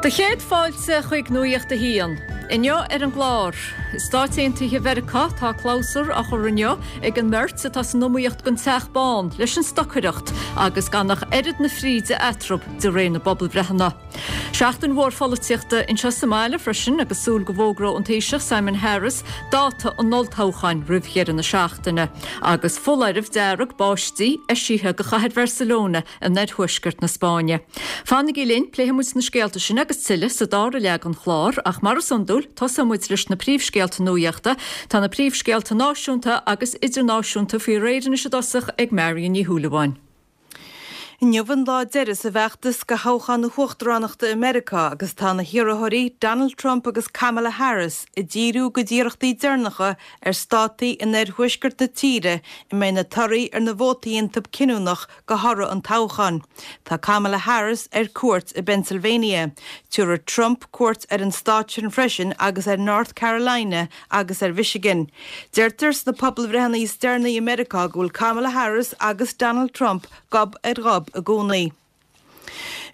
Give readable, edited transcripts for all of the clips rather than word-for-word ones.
Do chéad fáilte chuig Nuacht a hAon. Inniu ar an gclár, I Stáit Aontaithe Mheiriceá tá clabhsúr á chur inniu ag an mbeirt atá san iomaíocht don Teach Bán leis an stocaireacht agus gan ach oiread na fríde eatarthu de réir na bpobalbhreitheanna. Seachtain mhór pholaitíochta anseo sa mbaile freisin agus súil go bhfógróidh an Taoiseach Simon Harris dáta an olltoghcháin roimh dheireadh na seachtaine agus foláireamh dearg báistí eisithe do chathair Bharcelona in oirthuaisceart na Spáinne. Fanaigí linn, pléifidh muid na scéalta sin agus tuilleadh sa dara leath den chlár, ach mar is iondúil, tosóidh muid leis na príomhscéalta nuachta. Tá na príomhscéalta náisiúnta agus idirnáisiúnta faoi réir anois i dtosach ag Marion Ní Shúilleabháin. Inniu an lá deiridh sa bhfeachtas do thoghchán na huachtaránachta i Meiriceá agus tá na hiarrthóirí Donald Trump agus Kamala Harris ag díriú a gcuid iarrachtaí deireanacha ar státaí in oirthuaisceart na tíre a mbeidh na torthaí ar na vótaí iontu cinniúnach do thoradh an toghcháin. Tá Kamala Harris ar cuairt i bPennsylvania. Tabharfaidh Trump cuairt ar an stát sin freisin agus ar North Carolina agus ar Mhichigan. Deirtear sna pobalbhreitheanna is deireanaí i Meiriceá go bhfuil Kamala Harris agus Donald Trump gob ar ghob i gcónaí.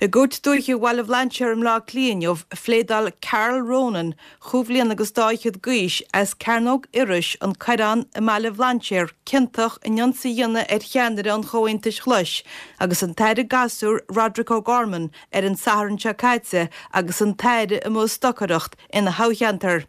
I gCúirt Dúiche Bhaile Bhlainséir i mBleá Cliath inniu, phléadáil Karl Ronan, chúig bhliana agus dá fhichead d'aois, as Cearnóg Iorrais, An Coireán i mBaile Bhlainséir, ciontach in ionsaí a dhéanamh ar cheannaire an Chomhaontais Ghlais agus an tAire Gasúr Roderic O'Gorman ar an Satharn seo caite agus an tAire amuigh ag stocaireacht ina thoghcheantar.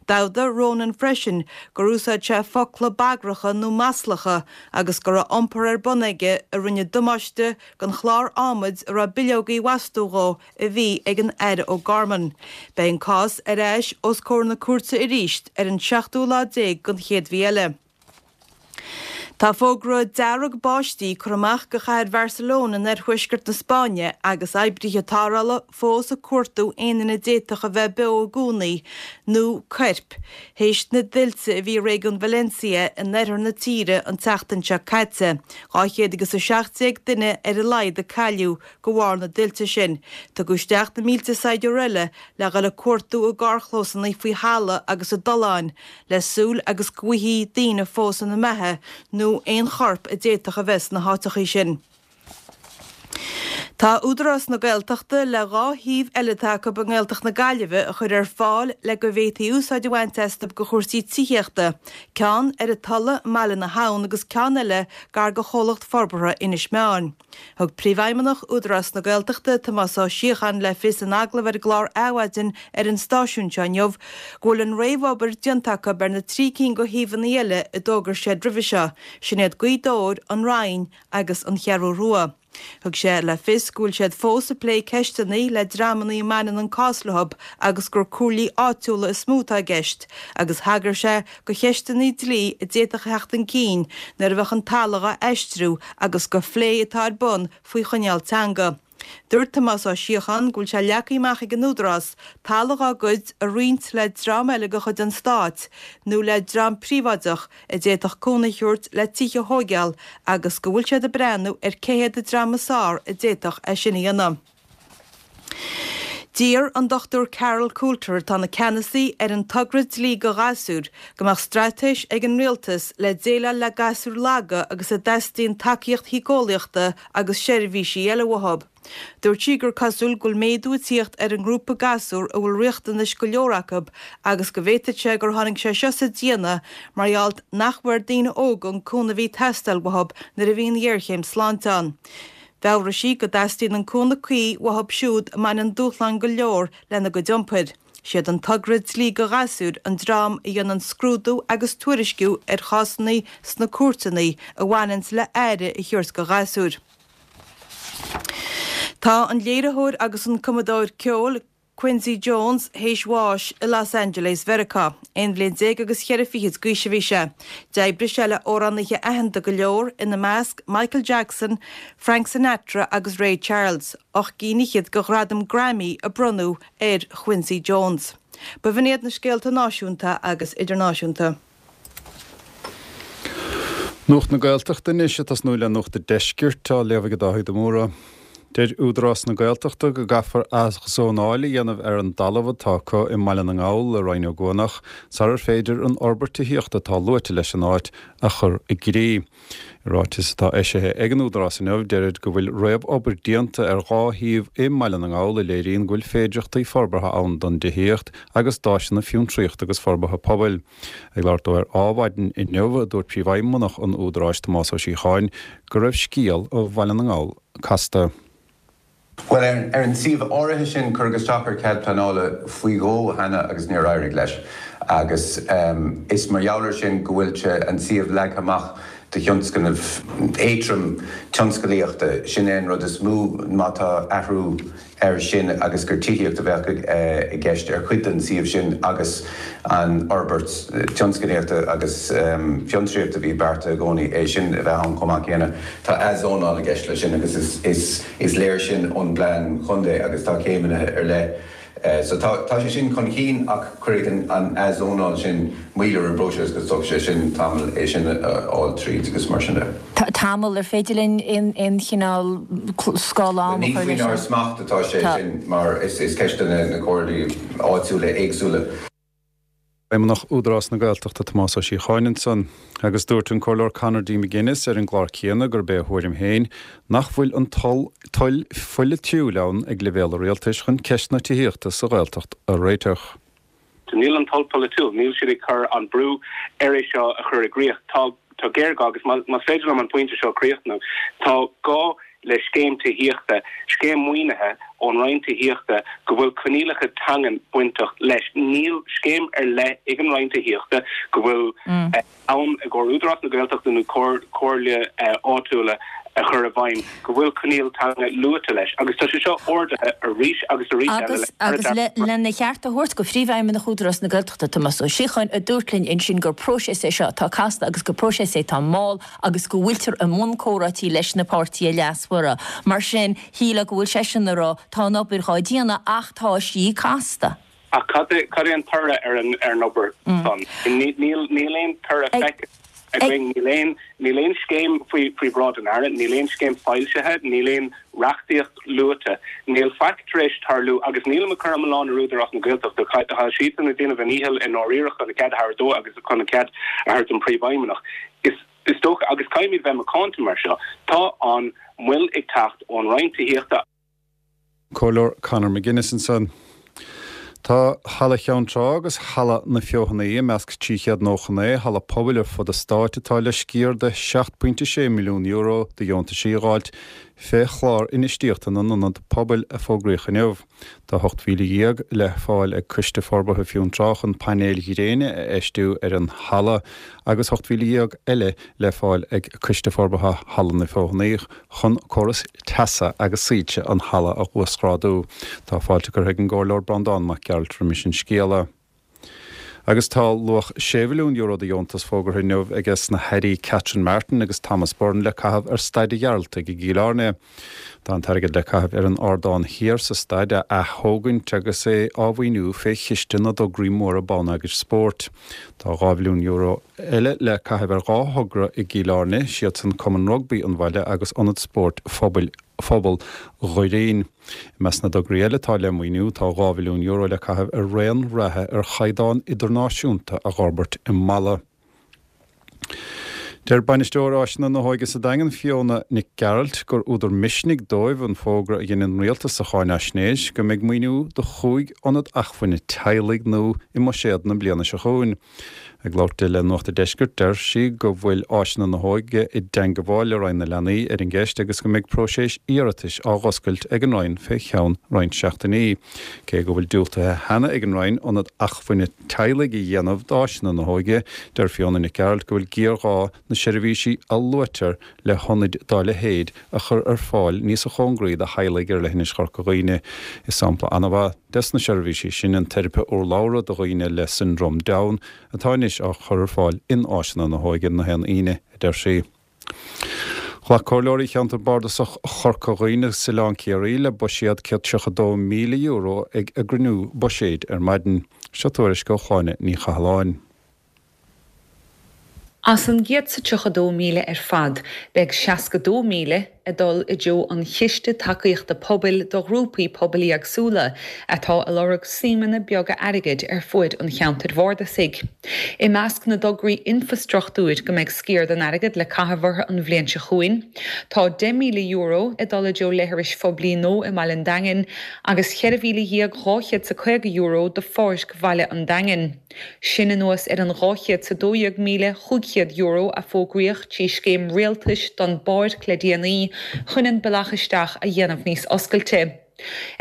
D'admhaigh Ronan freisin gur úsáid sé focla bagracha nó maslacha agus go raibh iompar ar bun aige a rinne damáiste don chlár adhmaid a raibh bileogaí á bhfostú dhó a bhí ag an Aire O'Gorman. Beidh an cás ar ais os comhair na cúirte arís ar an seachtú lá déag den chéad mhí eile. Tá fógra dearg báistí curtha amach do chathair Bharcelona in oirthuaisceart na Spáinne agus oibrithe tarrthála fós ag cuartú aon duine a d'fhéadfadh a bheith beo i gcónaí nó coirp théis na dtuilte a bhí i réigiún Valencia in oirthear na tíre an tseachtain seo caite. 200 agus 17 duine ar a laghad a cailleadh de bharr na dtuilte sin. Tugadh isteach na mílte saighdiúir eile le dhul ag cuartú i gcarrchlósanna faoi thalamh agus i dtolláin le súil agus go bhfaighfí daoine fós ina mbeatha nó aon chorp a d'fhéadfadh a bheith sna háiteachaí sin. Tá Údarás na Gaeltachta le 2 shuíomh eile atá acu i nGaeltacht na Gaillimhe a chur ar fáil le go bhféadfaí úsáid a bhaint astu do chúrsaí tithíochta, ceann ar an Tulaigh i mBaile na hAbhann agus ceann eile gar do Chomhlacht Forbartha Inis Meáin. Thug Príomhfheidhmeannach Údarás na Gaeltachta, Tomás Ó Síocháin le fios in agallamh ar an gclár Adhmhaidin ar an stáisiún seo inniu go bhfuil an réamhobair déanta acu ar na 3 cinn de shuíomhanna eile a d'fhógair siad roimhe seo, sin iad Gaoth Dobhair, An Rinn agus An Cheathrú Rua. Thug sé le fios go bhfuil siad fós ag plé ceisteanna le dreamanna a mbaineann an cás leo agus gur comhairlí áitiúla is mó atá i gceist agus thagair sé do cheisteanna dlí a d'fhéadfadh a theacht chun cinn nuair a bheadh an talamh á aistriú agus do phlé atá ar bun faoi choinníoll teanga. Dúirt Tomás Ó Síocháin go bhfuil sé leagtha amach ag an Údarás talamh dá gcuid a roinnt le dream eile de chuid an Stáit nó le dream príobháideach a d'fhéadfadh cúnamh a thabhairt le tithe a thóigeáil agus go bhfuil siad ag breathnú ar cé hiad an dream is fearr a d'fhéadfadh é sin a dhéanamh. D'iarr an Dr Carol Coulter, atá ina ceannasaí ar an togra Dlí do Ghasúir, go mbeadh straitéis ag an Rialtas le déileáil le gasúir laga agus a dteastaíonn tacaíocht shíceolaíochta agus seirbhísí eile uathu. Dúirt sí gur cosúil go bhfuil méadú ag tíocht ar an ngrúpa gasúr a bhfuil riachtanais go leor acu agus go bhféadfadh sé gur tháinig sé seo sa déanamh mar gheall nach bhfuair daoine óga an cúnamh a bhí ag teastáil uathu nuair a bhí an ghéarchéim sláinte ann. Mheabhraigh sí go dteastaíonn an cúnamh cuí uathu siúd a mbaineann dúshláin go leor lena gcuid iompair. Siad an togra Dlí do Ghasúir an dream a dhéanann scrúdú agus tuairisciú ar chásanna sna cúirteanna a bhaineanns le aire a thabhairt do ghasúir. Tá an léiritheoir agus an cumadóir ceoil Quincy Jones théis bháis i Los Angeles Mheiriceá. Aon bhliain déag agus cheithre fichid d'aois a bhí sé. D'oibrigh sé le amhránaithe aitheanta go leor, ina measc Michael Jackson, Frank Sinatra agus Ray Charles. Ocht gcinn fhichead de ghradaim Grammy a bronnadh ar Quincy Jones. B'in iad na scéalta náisiúnta agus idirnáisiúnta. Nuacht na Gaeltachta anois, ag tosnú le Nuacht an Deiscirt, á léamh ag Dáithí de Mórdha. Deir Údarás na Gaeltachta go gcaithfear athzónáil a dhéanamh ar an dtalamh atá acu i mBaile na nGall i Rinn Ó gCuanach sarar féidir an fhorbairt tithíochta atá luaite leis an áit a chur i gcrích. I ráiteas atá eisithe ag an Údarás inniu, deirid go bhfuil réamh-obair déanta ar dhá shuíomh i mBaile na nGall a léiríonn go bhfuil féidireachtaí forbartha ann don dtithíocht agus d'áiseanna fiontraíochta agus forbartha pobail. Ag labhairt dó ar Adhmhaidin inniu, dúirt Príomhfheidhmeannach an Údaráis, Tomás Ó Síocháin, go raibh scéal Bhaile na nGall casta. Bhuel, ar an suíomh áirithe sin, cuireadh isteach ar chead pleanála faoi dhó cheana agus níor éirigh leis. Agus is mar gheall air sin go bhfuil an suíomh leagtha amach do thionscnamh éadrom tionscalaíochta. Sin é an rud is mó má tá athrú air sin agus gur tithíocht a bheadh i gceist ar chuid den suíomh sin agus an fhorbairt tionsclaíochta agus fiontraíochta a bhí beartaithe i gcónaí, é sin a bheith ann chomh maith céanna. Tá athzónáil i gceist leis sin agus is léir sin ón bplean chontae agus tá céimeanna ar leith. So tá sé sin chun cinn ach cuirfidh an athzónáil sin moill ar an bpróiseas agus tógfaidh sé sin tamall é sin a fháil tríd agus mar sin de. Tamall, ar féidir linn aon chineál scála ama a chur leis sin? Ní faoinár smacht atá sé sin mar is ceist do na comhairlí áitiúla éagsúla. Feidhmeannach Údarás na Gaeltachta Tomás Ó Síocháin ansan. Agus dúirt an Comhairleoir Conor D. McGuinness ar an gclár céanna gurb é a thuairim féin nach bhfuil an toil pholaitiúil ann ag leibhéal an rialtais chun ceist na tithíochta sa Ghaeltacht a réiteach. Níl an toil polaitiúil, níl siad ag cur an brú ar é seo a chur i gcrích. Tá tá géarghá, agus más féidir liom an pointe seo a chríochnú, tá gá le scéim tithíochta, scéim maoinithe ón Roinn Tithíochta go bhfuil coinníollacha teangan bainteach leis. Níl scéim ar leith ag an Roinn Tithíochta go bhfuil ann i gcomhair Údarás na Gaeltachta nó comhairle áitiúla a chur i bhfeidhm go bhfuil coinníoll teanga luaite leis agus tá sé seo ardaithe arís agus arís eile le Agus lena cheart a thabhairt do Phríomhfheidhmeannach Údarás na Gaeltachta, Tomás Ó Síocháin, a dúirt linn ansin gur próiseas é seo atá casta agus gur próiseas é atá mall agus go bhfuiltear i mbun comhráití leis na páirtithe leasmhara. Mar sin, shílfeá go bhfuil seisean ag rá, tá an obair dhá déanamh ach tá sí casta. Ach cad é, cad é an toradh ar an, ar an obair san? Níl, níl aon toradh feicthe againn, níl aon, níl aon scéim faoi, faoi bhráid an Aire, níl aon scéim foilsithe, níl aon reachtaíocht luaite, níl faic tar éis tarlú agus nílim ag cur an milleán ar Údarás na Gaeltachta, tá siadsan ag déanamh a ndícheall i ndáiríre chun a cead a thabhairt dó agus chun a cead a thabhairt don Phríomhfheidhmeannach. Is, is dócha, agus caithfimid bheith macánta mar seo, tá an mhoill ag teacht ón Roinn Tithíochta, Comhairleoir Conor McGuinness ansan. Tá Halla Cheann Trá agus Halla na Feothanaí i measc 399 halla pobail ar fud an stáit atá le sciar de €7.6 milliún de dheontaisí a dh'fháilt fé chlár infheistíochta na n-ionad pobail a fógraíodh inniu. Tá 18,000 le fáil ag Coiste Forbartha Fionntrá chun painéil ghréine a fheistiú ar an halla agus 18,000 eile le fáil ag Coiste Forbartha Halla na Feothanaí chun córas teasa agus soilse an halla a uasghrádú. Tá fáilte curtha ag an gComhairleoir Breandán Mac Gearailt roimis an scéala. Agus tá luach €6 mhilliún de dheontas fógartha inniu aige sna hAirí Catherine Martin agus Thomas Byrne le caitheamh ar Staid an Ghearaltaigh i gCill Airne. Tá an t-airgead le caitheamh ar an ardán thiar sa staid a ath-thógaint agus é á mhaoiniú fé Chiste na dTograí Móra Bonneagair Spóirt. Tá €2 mhilliún eile le caitheamh ar dhá thogra i gCill Airne, siadsan Cumann Rugbaí an bhaile agus Ionad Spóirt Phobail Phobal Dhoirín. I measc na dtograí eile atá le maoiniú tá €2 mhilliún le caitheamh ar raon reatha ar chaighdeán idirnáisiúnta a dh'fhorbairt i Mala. Deir Bainisteoir Áiseanna na hÓige sa Daingean, Fiona Nic Gearailt, gur údar misnigh dóibh an fógra a dhein an Rialtas sa cháinaisnéis go mbeidh maoiniú do chúig ionad acmhainne teaghlaigh nua i mbuiséad na bliana seo chugainn. Ag labhairt di le Nuacht an Deiscirt, deir sí go bhfuil Áiseanna na hÓige i dteangabháil le Roinn na Leanaí ar an gceist agus go mbeidh próiseas iarratais á dh'oscailt ag an Roinn fé cheann roinnt seachtainí. Cé go bhfuil diúltaithe cheana ag an Roinn ionad acmhainne teaghlaigh a dhéanamh d'Áiseanna na hÓige, deir Fiona Nic Gearailt go bhfuil géarghá na seirbhísí a luaitear le hionaid dá leithéid a chur ar fáil níosa chóngraí do theaghlaigh ar leithinis Chorca Dhuibhne. Is sampla an-mhaith des na seirbhísí sin an teiripe urlabhra do dhaoine le Siondróm Down atá anois á chur ar fáil in Áiseanna na hÓige na haon Aoine, a deir sí. Ghlac Comhairleoirí Cheantar Bardasach Chorca Dhuibhne agus Oileán Ciarraí le buiséad €132,000 ag a gcruinniú buiséid ar maidin. Seo tuairisc ó Shláine Ní Chathalláin. As an gcéad 's a 32,000 ar fad, beidh 62,000. ag dul i dtreo an Chiste Tacaíochta Pobail do ghrúpaí pobail éagsúla atá ag lorg suímeanna beaga airgid ar fuaid an cheantair bhardasaigh. I measc na dtograí infrastruchtúir go mbeidh sciar den airgead le caitheamh orthu an bhliain seo chugainn, tá €10,000 ag dul i dtreo leithris phoiblí nua i mbaile an Daingin agus €14,250 do Pháirc Bhaile an Daingin. Sin anuas ar an €212,500 a fógraíodh trí scéim rialtais don bpáirc le déanaí chun an bealach isteach a dhéanamh níos oscailte.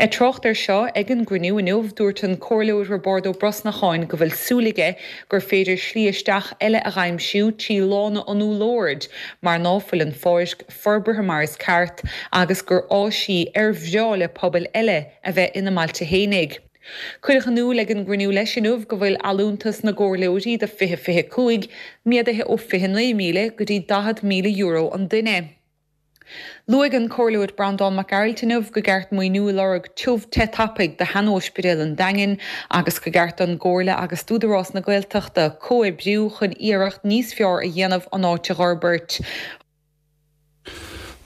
Ag trácht air seo ag an gcruinniú inniu, dúirt an Comhairleoir Roibeárd Ó Brosnacháin go bhfuil súil aige gur féidir slí isteach eile a dh'aimsiú trí Lána an Úllord mar ná fuil an pháirc forbartha mar is ceart agus gur áis í ar bhreá le pobail eile a bheith ina mbailte fhéinig. Cuireadh in iúl ag an gcruinniú leis inniu go bhfuil allúntas na gcomhairleoirí do 2025 méadaithe ó €29,000 go dtí €40,000 an duine. Luaigh an Comhairleoir Breandán Mac Gearailt inniu go gceart maoiniú a lorg tiubh te tapaidh do shean-óispidéal an Daingin agus go gceart don gComhairle agus d'Údarás na Gaeltachta comhoibriú chun iarracht níos fearr a dhéanamh an áit a dh'fhorbairt.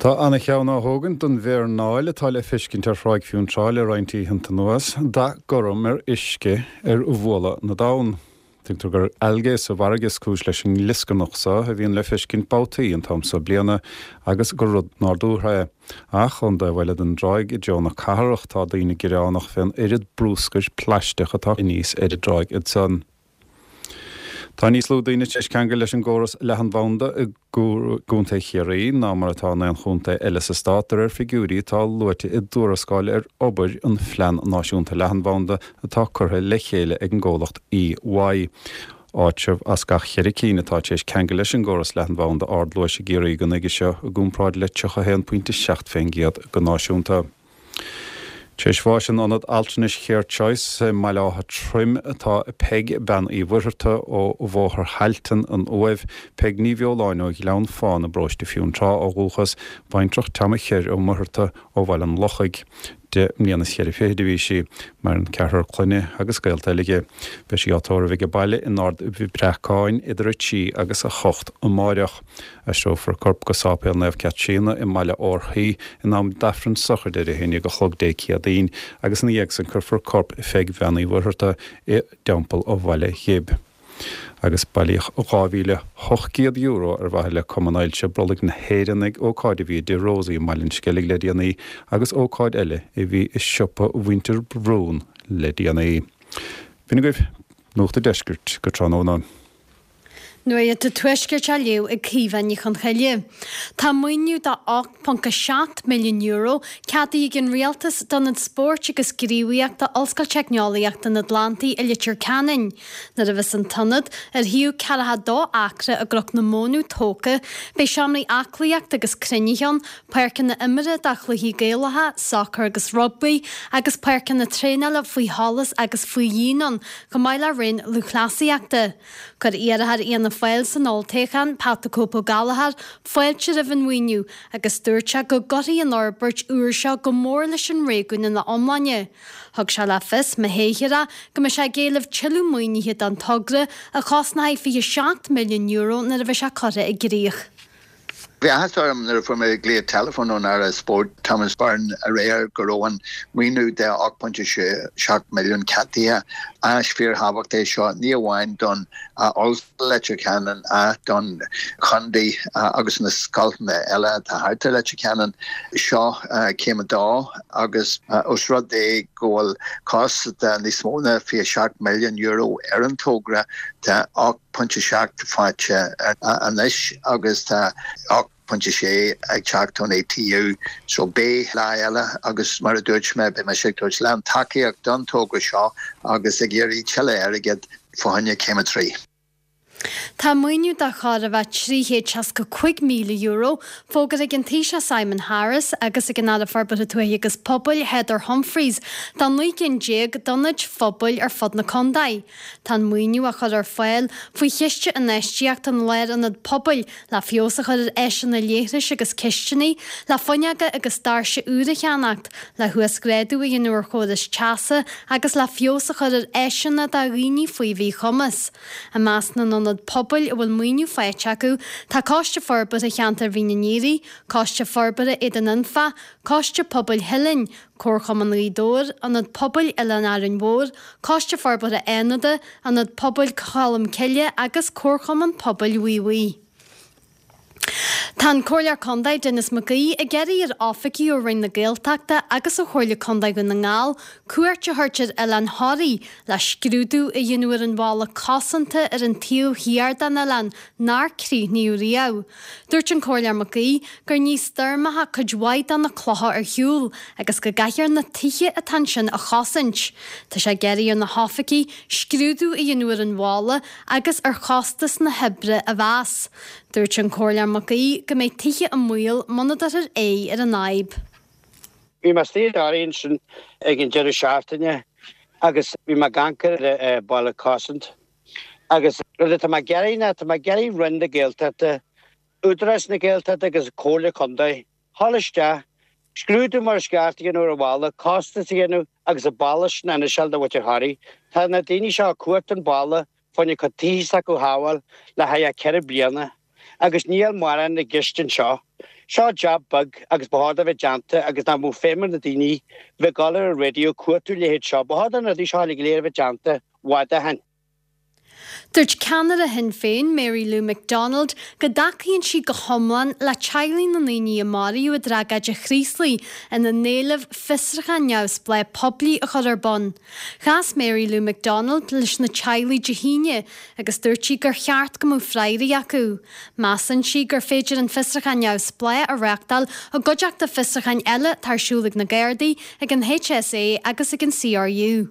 Tá ana-cheann á thógaint don mhéarnáil atá le feiscint ar Thráigh Fionntrá le roinnt oícheanta anuas, dath gorm ar uisce ar bhualadh na dtonn. Tuigtear gur algae sa bhfarraige is cúis leis an nglioscarnach so a bhíonn le feiscint babhtaí an t-am so bliana agus gur rud nádúrtha é. Ach ón dtaobh eile den dtráigh i dtreo na cathrach tá daoine gearánach fén oiread brúscair plaisteach atá aníos ar an dtráigh ansan. Tá níos lú daoine tar éis ceangal leis an gcóras leathanbhanda i gContae Chiarraí ná mar atá in aon chontae eile sa stát, de réir figiúirí atá luaite i dtuarascáil ar obair an Phlean Náisiúnta Leathanbhanda atá curtha le chéile ag an gcomhlacht EY. Áitreabh as gach cheithre cinn atá tar éis ceangal leis an gcóras leathanbhanda ardluais i gCiarraí go nuige seo, i gcomparáid le 31.7% go náisiúnta. Tar éis bháis in Ionad Altranais CareChoice i mBaile Átha Troim atá Peig, Bean Uí Mhuircheartaigh ó Bhóthar Thailtean, An Uaimh, Peig Ní Bheoláin ó Ghleann Fána i bparóiste Fionntrá ó dhúchas, baintreach Tom Cher Ó Muircheartaigh ó Bhaile an Lochaigh. Deich mbliana is cheithre fichid a bhí sí. Maireann ceathrar clainne agus gaolta eile aici. Beidh sí á tórramh age baile in Ard Bhreacáin idir 3 agus 8 amáireach. Aistreofar a corp go Sáipéal Naomh Caitríona i mBaile Órthaí in am d'Aifreann sochraide ar 11 a chlog Dé Céadaoin agus ina dhiaidh san cuirfear corp Pheig Bhean Uí Mhuircheartaigh i dTeampall an Bhaile Ghib. Agus bailíodh €2,800 ar mhaithe le Cumann Ailse Brollaigh na hÉireann ag ócáid a bhí i dTigh Rosie i mBaile an Sceilg le déanaí agus ócáid eile a bhí i siopa Mhuintir Brún le déanaí. B'in agaibh Nuacht an Deiscirt go tráthnóna. Nuacht an Tuaiscirt á léamh ag Caoimhe Ní Chonchoille. Tá maoiniú de €8.7 milliún ceadaithe ag an Rialtas d'Ionad Spóirt agus Gníomhaíochta Ollscoil Teicneolaíochta an Atlantaigh i Leitir Ceanainn. Nuair a bheas an t-ionad, ar shuíomh 42 acra i gCnoc na Mónadh, tógtha, beidh seomraí aclaíochta agus cruinnithe ann, páirceanna imeartha do chluichí Gaelacha, sacar agus rugbaí, agus páirceanna traenála faoi sholas agus faoi dhíon ann, chomh maith le roinn lúthchleasaíochta. Chuir iarrthóir Fhianna Fáil san olltoghchán, Pat the Cope Ó Gallchóir, fáilte roimh an mhaoiniú agus dúirt sé go gcuirfidh an fhorbairt úr seo go mór leis an réigiún ina iomláine. Thug sé le fios, má thoghtar é, go mbeidh sé ag éileamh tuilleadh maoinithe don togra, a chosnóidh €27 milliún nuair a bheidh sé curtha i gcrích. Bhí áthas orm nuair a fuair mé glao teileafóin ón Aire Spóirt Thomas Byrne aréir go raibh an maoiniú de €8.7 milliún ceadaithe. Áis fíorthábhachtach é seo ní amháin don Ollscoil Leitir Ceanainn ach don chontae agus na scoileanna eile atá thart ar Leitir Ceanainn. Seo céim a dó agus os rud é go bhfuil costas de níos mó ná €27 milliún ar an togra tá 8.7 faighte anois agus tá 8.6 ag teacht ón ATU so beidh lá eile agus mar a dúirt mé beidh mise ag tabhairt lán tacaíocht don togra seo agus ag iarraidh tuilleadh airgid fá choinne céim 3. Tá maoiniú de chóir a bheith €365,000 fógartha ag an Taoiseach Simon Harris agus ag an Aire Forbartha Tuaithe agus Pobail Heather Humphreys do 19 gcinn d'ionaid phobail ar fud na contae. Tá an maoiniú á chur ar fáil faoi Chiste Infheistíochta an Lárionad Pobail le feabhas a chur ar áiseanna leithris agus cistiní, le fuinneoga agus doirse úra a cheannacht, le huasghrádú a dhéanamh ar chórais teasa agus le feabhas a chur ar áiseanna do dhaoine faoi mhíchumas. I measc na n-ionad. ionaid pobail a bhfuil maoiniú faighte acu tá Coiste Forbartha Cheantar Mhín an Iarthaigh, Coiste Forbartha Éadan Anfa, Coiste Pobail Theilinn, Comharchumann Ghaoth Dobhair, Ionad Pobail Oileán Árainn Mhór, Coiste Forbartha Fhánada, Ionad Pobail Cholm Cille agus Comharchumann Pobail Mhaigh Bhuí. Tá an Comhairleoir Contae Denis Mac Aoidh ag iarraidh ar oifigigh ó Roinn na Gaeltachta agus ó Chomhairle Contae Dhún na nGall cuairt a thabhairt ar Oileán Thoraí le scrúdú a dhéanamh ar an bhalla cosanta ar an taobh thiar den oileán nár críochnaíodh riamh. Dúirt an Comhairleoir Mac Aoidh gur ní stoirmeacha cuid mhaith de na clocha ar shiúl agus go gcaithfear na tithe atá ansin a chosaint. Tá sé ag iarraidh ar na hoifigigh scrúdú a dhéanamh ar an bhalla agus ar chostas na hoibre a mheas. Dúirt an Comhairleoir Mac Aoidh go mbeidh tithe i mbaol muna dtabharfar aghaidh ar an fhadhb. Bhí mé istigh i dToraigh ansin ag an deireadh seachtaine agus bhí mé ag amharc ar an bhalla cosanta agus rud atá mé ag iarraidh ná tá mé ag iarraidh Roinn na Gaeltachta, Údarás na Gaeltachta agus Comhairle Contae dhul isteach, scrúdú mar is ceart a dhéanamh ar an bhalla, costas a dhéanamh agus an balla sin a fhiniseáil do mhuintir Thoraí. Tá na daoine seo ag cuartú an balla fá choinne a gcuid tithe s'acu a shábháil le haghaidh 4 bliana agus níl mórán i gceist anseo. Seo jab beag agus ba chóir dó bheith déanta agus nach mbeadh feidhm ar na daoine bheith ag dul ar an raidió ag cuartú a leithéid seo. Ba chóir do na rudaí seo uilig go léir a bheith déanta i bhfad ó shin. Dúirt ceannaire Shinn Féin, Mary Lou McDonald, go dtacaíonn sí go hiomlán le teaghlaigh na ndaoine a maraíodh i dtragóid an Chraoslaigh ina n-éileamh fiosrúchán neamhspleách poiblí a chur ar bun. Chas Mary Lou McDonald leis na teaghlaigh Dé hAoine agus dúirt sí gur cheart go mbeadh freagraí acu. Measann sí gur féidir an fiosrúchán neamhspleách a reáchtáil i gcuideachta fiosrúcháin eile atá ar siúl ag na Gardaí, ag an HSA agus ag an CRU.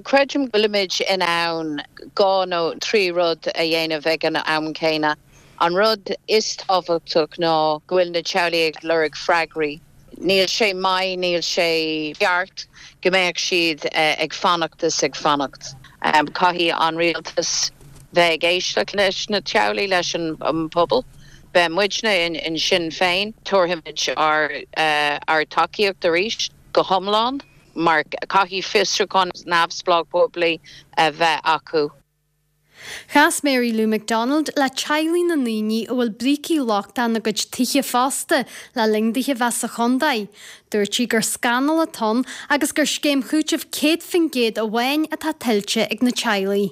Creidim go bhfuilimid in ann dhá nó thrí rud a dhéanamh ag an am céanna. An rud is tábhachtach ná go bhfuil na teaghlaigh ag lorg freagraí. Níl sé maith, níl sé ceart go mbeadh siad ag fanacht is ag fanacht. Caithfidh an rialtas bheith ag éisteacht leis na teaghlaigh, leis an bpobal. Beidh muidne in Sinn Féin, tabharfaimid ár dtacaíocht arís go hiomlán. mar caithfidh fiosrúchán neamhspleách poiblí a bheith acu. Chas Mary Lou McDonald le teaghlaigh na ndaoine a bhfuil brící lochtacha ina gcuid tithe fosta le linn dithe bheith sa chontae. Dúirt sí gur scannal atá ann agus gur scéim chúitimh 100% amháin atá tuillte ag na teaghlaigh.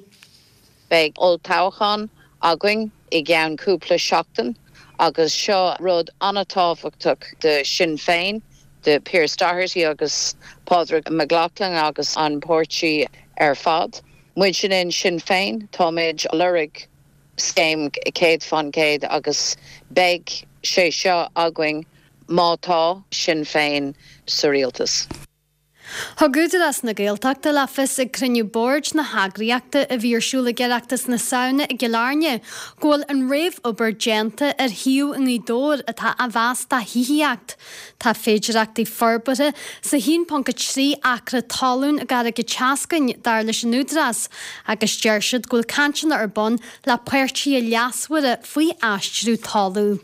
Beidh olltoghchán againn i gceann cúpla seachtain agus seo rud an-tábhachtach do Sinn Féin, do Pearse Doherty agus Pádraig Mac Lochlainn agus an páirtí ar fad. Muidne in Sinn Féin, táimid ag lorg scéim 100% agus beidh sé seo againn má tá Sinn Féin sa rialtas. Thug Údarás na Gaeltachta le fios ag cruinniú boird na heagraíochta a bhí ar siúl ag Oireachtas na Samhna i gCill Airne go bhfuil an réamhobair déanta ar shuíomh i nGaoth Dobhair atá á mheas do thithíocht. Tá féidearthachtaí forbartha sa 1.3 acra talún i gCarraig an tSeascainn, dar leis an Údarás, agus deir siad go bhfuil cainteanna ar bun le páirtithe leasmhara faoi aistriú talún.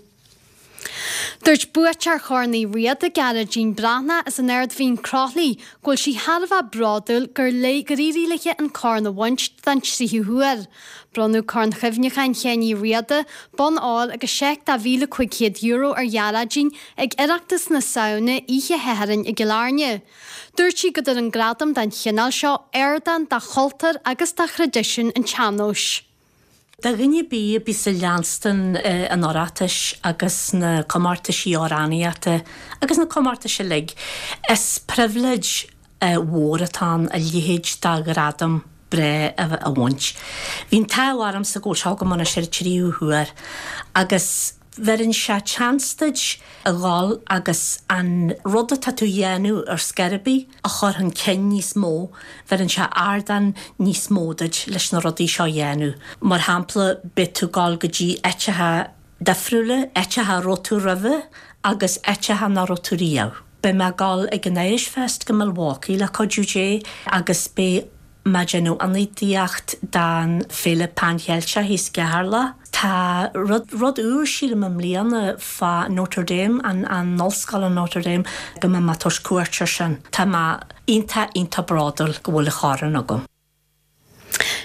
Dúirt buaiteoir Chorn Uí Riada, Gearóidín Breathnach as an Ard Mhín Croithlí, go bhfuil sí thar a bheith bródúil gur léi gur éirigh léi an corn a bhaint den tríú huair. Bronnadh Corn Chuimhneacháin Sheáin Uí Riada, bonn óir agus seic de €1,500 ar Ghearóidín ag Oireachtas na Samhna oíche Shathairn i gCill Airne. Dúirt sí go dtugann gradam den chineál seo ardán do chultúr agus do thraidisiún an tsean-nóis. Do dhuine ar bith a bíos ag leanstan an Oireachtais agus na comórtaisí amhránaíochta agus na comórtais uilig, is pribhléid mhór atá ann a leithéid de ghradam breá a bhaint. Bhí an t-ádh ormsa go bhfuil seo agam anois ar an tríú huair agus Bheireann sé chance duit a dhul agus an rud atá tú a dhéanamh ar scor ar bith a chur chun cinn níos mó, bheireann sé ardán níos mó duit leis na rudaí seo a dhéanamh. Mar shampla, beidh tú ag dul go dtí áiteacha difriúla, áiteacha a raibh tú roimhe agus áiteacha nach raibh tú riamh. Beidh mé ag dul ag an Irish Fest go Milwaukee le cuidiú Dé agus beidh mé ag déanamh ionadaíocht don Féile Pan Cheilteach thíos i gCeatharlach. Tá rud, rud úr sílim i mbliana fá Notre Dame, an, an ollscoil in Notre Dame, go mbeidh mé ag tabhairt cuairt ar sin. Tá mé iontach, iontach bródúil go bhfuil an chorn agam.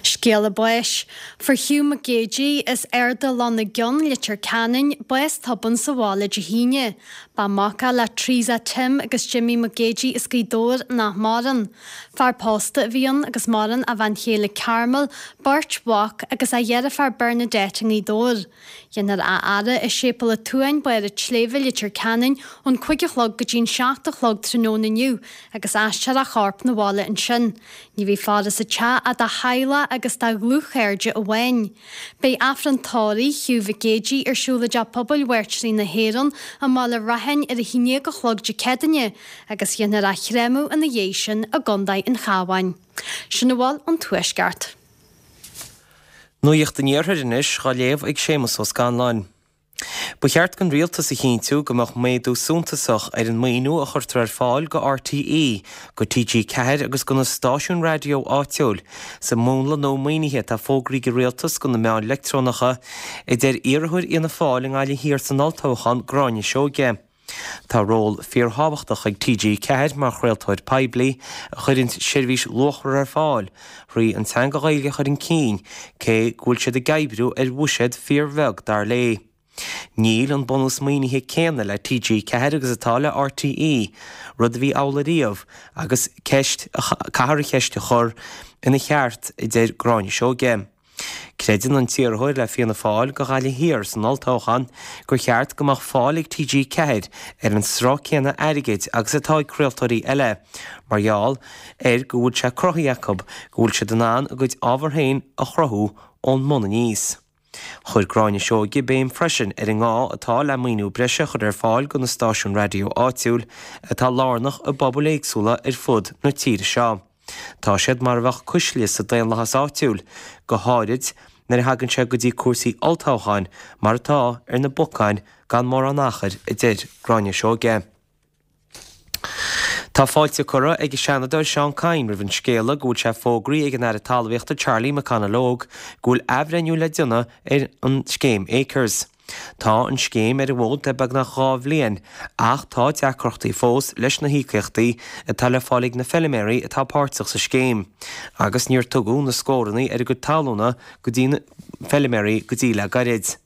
Scéala báis. Fuair Hugh Mac Géidigh, as Ard a' Lon na gCeann, Leitir Ceanainn, bás tobann sa bhaile Dé hAoine. Ba mhac é le Teresa Tim agus Jimmy Mac Géidigh as Gaoth Dobhair nach maireann. Fear pósta a bhí ann agus maireann a bhean chéile Carmel, beirt mhac agus a dheirfiúr Bernadette i nGaoth Dobhair. Déanfar a fhaire i Séipéal an tSuain, Barr an tSléibhe, Leitir Ceanainn, ón 5 a chlog go dtí an 7 a chlog tráthnóna inniu agus aistreofar a chorp 'na bhaile ansin. Ní bheidh faire sa teach ach dá theaghlach agus dá dhlúthchairde amháin. Beidh Aifreann tórraimh Hugh Mhic Géidigh ar siúl i dTeach Pobail Mhairtírí na hÉireann i mBaile Rathain ar 11 a chlog Dé Céadaoine agus dhéanfar a chréamadh ina dhiaidh sin i gContae an Chabháin. Sin a bhfuil ón Tuaisceart. Nuacht an Iarthair anois dhá léamh ag Séamus Ó Scanláin. Ba cheart don Rialtas a chinntiú go mbeadh méadú suntasach ar an maoiniú a chuirtear ar fáil go RTÉ, go TG4 agus go na stáisiúin raidió áitiúil, sa mhúnla nua maoinithe atá fógraithe ag an Rialtas go na meáin leictreonacha, a deir iarrthóir Fhianna Fáil i nGaillimh Thiar san olltoghchán, Gráinne Seoige. Tá ról fíorthábhachtach ag TG4 mar chraoltóir poiblí a chuireann seirbhís luachmhar ar fáil thrí an teanga Ghaeilge a chur chun cinn, cé go bhfuil siad ag oibriú ar bhuiséad fíorbheag, dar léi. Níl an bunús maoinithe céanna le TG4 agus atá le RTÉ, rud a bhí amhlaidh riamh, agus ceist, caithfear an cheist a chur ina cheart, a deir Gráinne Seoige. Creideann an t-iarrthóir le Fianna Fáil go Ghaillimh Thiar san olltoghchán gur cheart go mbeadh fáil ag TG4 ar an sruth céanna airgid agus atá ag craoltóirí eile mar gheall ar go bhfuil sé cruthaithe acu go bhfuil siad in ann a gcuid ábhar féin a chruthú ón mbun aníos. Chuir Gráinne Seoige béim freisin ar an ngá atá le maoiniú breise a chur ar fáil go na stáisiúin raidió áitiúil atá lárnach i bpobail éagsúla ar fud na tíre seo. Tá siad mar a bheadh cuisle sa daonlathas áitiúil, go háirid nuair a thagann sé go dtí cúrsaí olltoghcháin, mar atá ar na bacáin gan mórán achair, a deir Gráinne Seoige. Tá fáilte curtha ag an Seanadóir Seán Kyne roimh an scéala go bhfuil sé fógraithe ag an Aire Talmhaíochta Charlie McConalogue go bhfuil athbhreithniú le déanamh ar an scéim Acres. Tá an scéim ar an bhfód le beagnach 2 bhliain ach tá deacrachtaí fós leis na híocaíochtaí atá le fáil ag na feiliméaraí atá páirteach sa scéim agus níor tugadh na scóranna ar a gcuid talúna go dtí na feiliméaraí go dtí le gairid.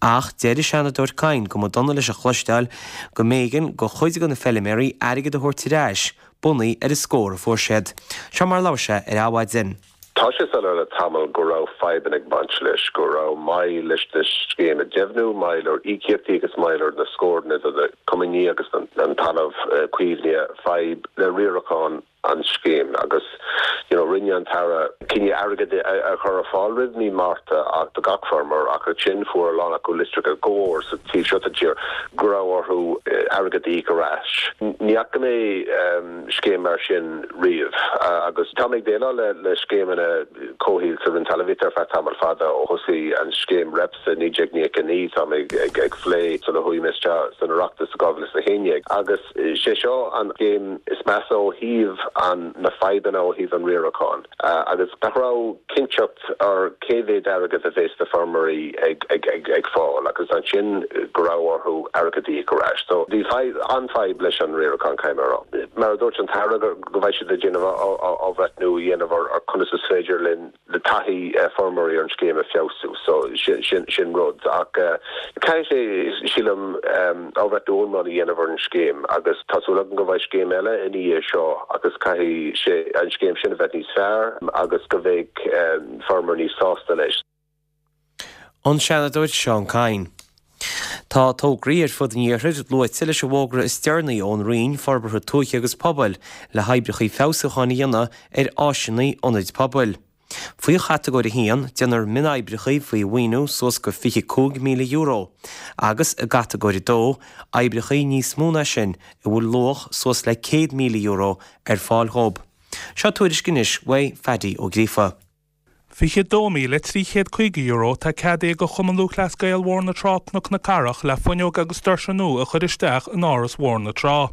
Ach deir an Seanadóir Kyne go mba dona leis a chloisteáil go mb'éigean go chuid de na feiliméaraí airgead a thabhairt ar ais bunaithe ar an scór a fuair siad. Seo mar a labhair sé ar Adhmhaidin. Tá sé soiléir le tamall go raibh fadhbanna ag baint leis, go raibh moill leis na scéim a deimhniú, moill ar íocaíochtaí agus moill ar na scóranna do na coimíní agus an talamh caomhnaithe, fadhb le riarachán an scéim agus you know rinne an tAire cinneadh airgead a chur ar fáil roimh mí Márta ach do gach feirmeoir ach ansin fuair a lán acu litreacha go mór sa taobh seo den tír go raibh orthu airgead a íoc ar ais. Ní fhaca mé scéim mar sin riamh agus tá mé ag déileáil le scéimeanna comhshaoil sa Roinn Talmhaíochta ar feadh tamall fada, ó thosaigh an scéim REPS i 1999 tá mé ag phlé sula chuaigh mé isteach san Oireachtas i 2011 agus sé seo an scéim is measa ó thaobh an na fadhbanna ó thaobh an riaracháin agus nach raibh cinnteacht ar cé mhéad airgead a bheas na feirmeoirí ag fáil agus ansin go raibh orthu airgead a íoc ar ais. So bhí fadhb, an-fhadhb leis an riarachán, caithfidh mé a rá. Mar a dúirt an tAire go mbeidh siad ag déanamh athbhreithniú a dhéanamh ar conas is féidir linn le taithí feirmeoirí ar an scéim a feabhsú. So sin, sin rud. Ach caithfidh sé, sílim, athbhreithniú iomlán a dhéanamh ar an scéim agus tá súil agam go mbeidh scéim eile ina dhiaidh seo agus caithfidh sé an scéim sin a bheith níos fearr agus go mbeidh feirmeoirí níos sásta leis. An Seanadóir Seán Kyne. Tá tograí ar fud an iarthair luaite leis an bhfógra is deireanaí ón Roinn Forbartha Tuaithe agus Pobail le hoibreacha feabhsúcháin a dhéanamh ar áiseanna ionaid pobail. Faoi chatagóir 1, déanfar mionoibreacha faoi mhaoiniú suas go €25,000 agus i gcatagóir 2, oibreacha níos mó ná sin a bhfuil luach suas le €100,000 ar fáil dhóibh. Seo tuairisc anois uaidh Phaddy Ó Gríofa. €22,350 atá ceadaithe do Chumann Lúthchleas Gael Bhóthar na Trá Cnoc na Cathrach le fuinneoga agus doirse nua a chur isteach in Áras Bhóthar na Trá.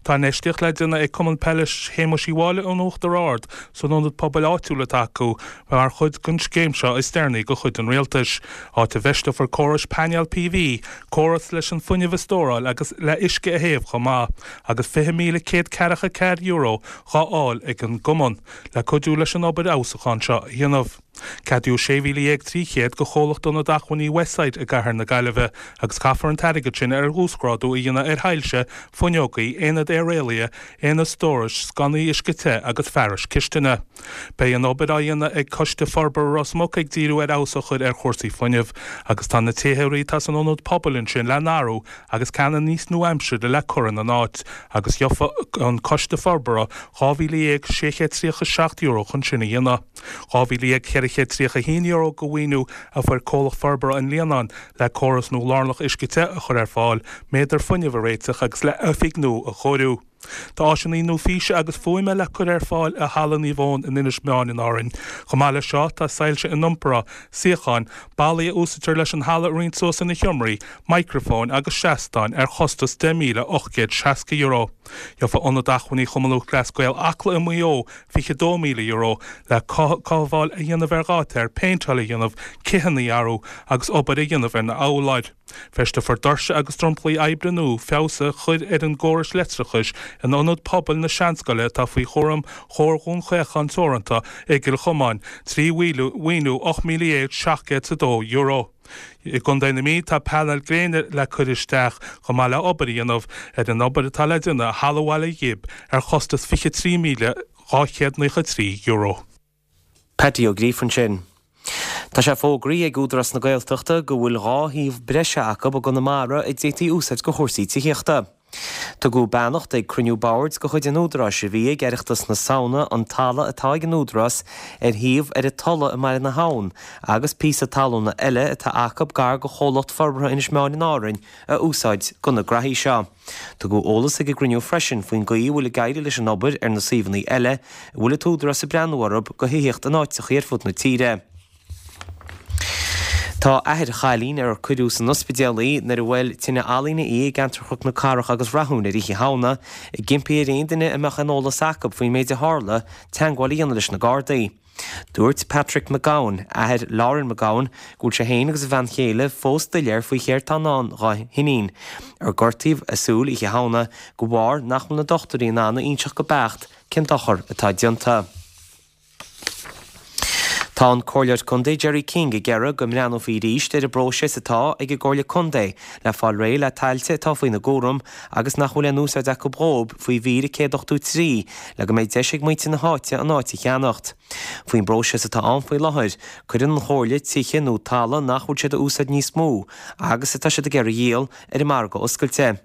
Tá infheistíocht le déanamh ag Cumann Peile Shéamuis Uí Mháille in Uachtar Ard san ionad pobail áitiúil atá acu mar chuid den scéim seo is deireanaí de chuid an Rialtais, áit a bhfeisteofar córais painéal PV, córas leis an fuinneamh a stóráil agus le uisce a théamh chomh maith, agus €20,144 dhá fháil ag an gcumann le cuidiú leis an obair fheabhsúcháin seo a dhéanamh. Ceadaíodh 16,300 do chomhlacht Ionad Acmhainní Westside i gcathair na Gaillimhe agus caithfear an t-airgead sin ar uasghrádú a dhéanamh ar shoilse, fuinneogaí, aonad aeraíola, aonad stórais, sconnaí uisce te agus fearais cistine. Beidh an obair á dhéanamh ag Coiste Forbartha Ros Muc ag díriú ar fheabhas a chur ar chúrsaí fuinnimh agus tá na téitheoirí atá san ionad pobail ansin le n-athrú agus ceanna níos nua-aimseartha le cur ina n-áit agus gheobhaidh an Coiste Forbartha €12,637 chun sin a dhéanamh. €12,431 de mhaoiniú a fuair Comhlacht Forbartha an Líonáin le córas nua lárnach uisce te a chur ar fáil, méadar fuinnimh a réiteach agus le oifig nua a chóiriú. Tá áiseanna nua físe agus fuaime le cur ar fáil i Halla Naomh Eoin in Inis Meáin in Árainn. Chomh maith leis seo, tá soilse iniompartha, suíocháin, ballaí a úsáidtear leis an halla a roinnt suas ina sheomraí, micreafóin agus seastáin ar chostas €10,860. Gheobhaidh Ionad Acmhainní Chumann Lúthchleas Gael Acla i Maigh Eo €22,000 le cothabháil a dhéanamh ar gháitéir, péinteáil a dhéanamh, cithíní a athrú agus obair a dhéanamh ar na urláir. Feisteofar doirse agus dromchlaí oibre nua, feabhas a chur ar an gcóras leictreachais in Ionad Pobail na Seanscoile atá faoi chúram Chomhar Dhún Chaocháin Teoranta i gCill Chomáin, trí mhaoiniú €18,702. I gContae na Mí tá painéil gréine le cur isteach chomh maith le obair a dhéanamh ar an obair atá le déanamh i Halla Bhaile Ghib ar chostas €23,293. Paddy Ó Gríofa ansin. Tá sé fógraithe ag Údarás na Gaeltachta go bhfuil 2 shuíomh breise acu i gConamara a d'fhéadfaí a úsáid do chúrsaí tithíochta. Tugadh beannacht ag cruinniú boird de chuid an Údaráis a bhí ag Oireachtas na Samhna an talamh atá ag an Údarás ar shuíomh ar an Tulaigh i mBaile na hAbhann agus píosa talúna eile atá acu gar do Chomhlacht Forbartha Inis Meáin in Árainn a úsáid do na graithí seo. Tugadh eolas ag an gcruinniú freisin faoin gcaoi a bhfuil ag éirí leis an obair ar na suíomhanna eile a bhfuil an tÚdarás ag breathnú orthu do thithíocht in áiteachaí ar fud na tíre. Tá athair chailín ar cuireadh san ospidéal í nuair a bhuail tine ealaíne í i gceantar Chnoc na Cathrach agus Rathúin ar Oíche Shamhna, ag impí ar aon duine a mbeadh aon eolas acu faoin méid a tharla teagmháil a dhéanamh leis na Gardaí. Dúirt Patrick McGowan, athair Lauren McGowan, go bhfuil sé féin agus a bhean chéile fós doiléir faoi chéard tá i ndán dá hiníon, ar gortaíodh a súil Oíche Shamhna de bharr nach bhfuil na dochtúirí in ann a inseacht go beacht cén dochar atá déanta. Tá an Comhairleoir Contae Gerry King ag iarraidh go mbreathnófaí arís ar an bpróiseas atá ag an gComhairle Contae le fáil réidh le tailte atá faoina gcúram agus nach bhfuil aon úsáid acu dhóib faoi mhír 183 le go mbeidh deis ag muintir na háite an áit a cheannacht. Faoin bpróiseas atá ann faoi láthair, cuireann an Chomhairle tithe nó talamh nach bhfuil siad a úsáid níos mó agus atá siad ag iarraidh a dhíol ar an margadh oscailte.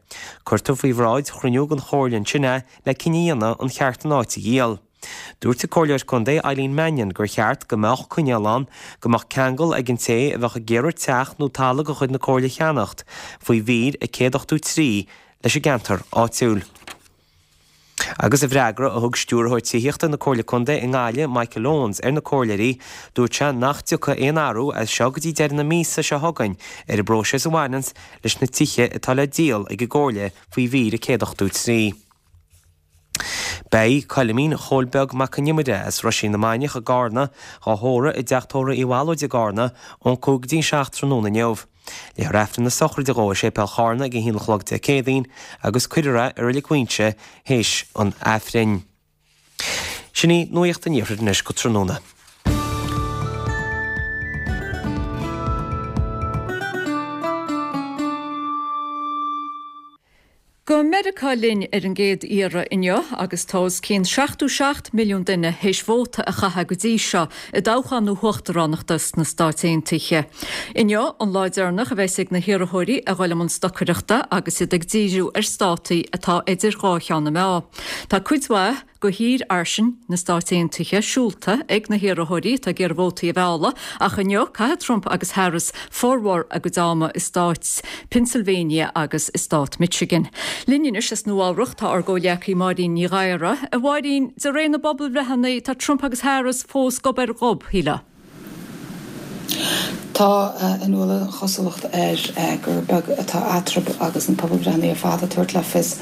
Cuirtear faoi bhráid chruinniú den Chomhairle ansin é le cinneadh a dhéanamh an cheart an áit a dhíol. Dúirt an Comhairleoir Contae Eileen Mannion gur cheart go mbeadh coinníoll ann go mbeadh ceangal ag an té a bheadh ag iarraidh teach nó talamh de chuid na Comhairle a cheannacht faoi mhír 183 leis an gceantar áitiúil. Agus i bhfreagra a thug Stiúrthóir Tithíochta na Comhairle Contae i nGaillimh, Michael Owens, ar na comhairleoirí, dúirt sé nach dtiocfaidh aon athrú as seo go dtí deireadh na míosa seo chugainn ar an bpróiseas a bhaineanns leis na tithe atá le díol ag an gComhairle faoi mhír 183. Beidh Coilimín Chóil Beag Mac an Iomaire as Roisín na Mainiach i gCarna dhá thórramh i dTeach Tórraimh Uí Bhallóid i gCarna ón 5 go dtí an 7 tráthnóna inniu. Léifear Aifreann na sochraide dhó i Séipéal Charna ag a haon a chlog Dé Céadaoin agus cuirfear é i Reilig Mhuighinse théis an Aifrinn. Sin í Nuacht an Iarthair anois go tráthnóna. Go Meiriceá linn ar an gcéad iarraidh inniu agus tá os cionn 77 milliún duine théis vóta a chaitheamh go dtí seo i dtoghchán na huachtaránachta sna Stáit Aontaithe. Inniu an lá deireanach a bheas ag na hiarrthóirí a dhul i mbun stocaireachta agus iad ag díriú ar státaí atá idir dhá cheann na meá. Tá cuid mhaith de thír fhairsing na Stáit Aontaithe siúlta ag na hiarrthóirí atá ag iarraidh vótaí a mhealladh ach inniu caithfidh Trump agus Harris formhór a gcuid ama i stát Pennsylvania agus i stát Michigan. Linn anois as Nua Eabhrac tá ár gcomhghleacaí Máirín Ní Ghadhra. A Mháirín, de réir na bpobalbhreitheanna tá Trump agus Harris fós gob ar ghob, shílfeá. Tá, a Nuala, an chosúlacht air gur beag atá eatarthu agus na pobalbhreitheanna ar fad ag tabhairt le fios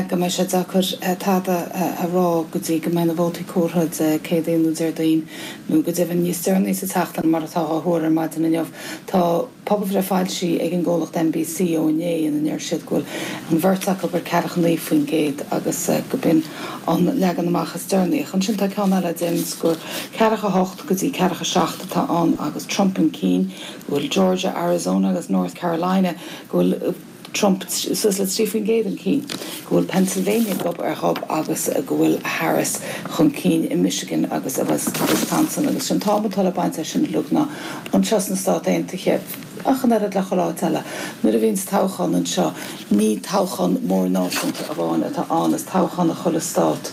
go mbeidh sé deacair tada a rá go dtí go mbeidh na vótaí comhairthe Dé Céadaoin nó Déardaoin nó go deimhin níos deireanaí sa tseachtain mar atá á thuar ar maidin inniu. Tá pobalbhreith foilsithe ag an gcomhlacht NBC ó inné ina ndeir siad go bhfuil an bheirt acu ar ceathracha 9% agus go b'in an leagan amach is deireanaí. Ach ansin tá ceann eile a deireanns gur ceathracha 8 go dtí ceathracha 7 atá ann agus Trump chun cinn, go bhfuil Georgia, Arizona agus North Carolina, go bhfuil Trump suas le 3% chun cinn, go bhfuil Pennsylvania gob ar ghob agus go bhfuil Harris chun cinn i Michigan agus i Wisconsin. Agus sin an t-am atá le baint as sin uilig ná anseo sna Stáit Aontaithe, ach an oiread le chuile áit eile, nuair a bhíonns toghchán anseo, ní toghchán mór náisiúnta amháin atá ann, is toghchán i chuile stát.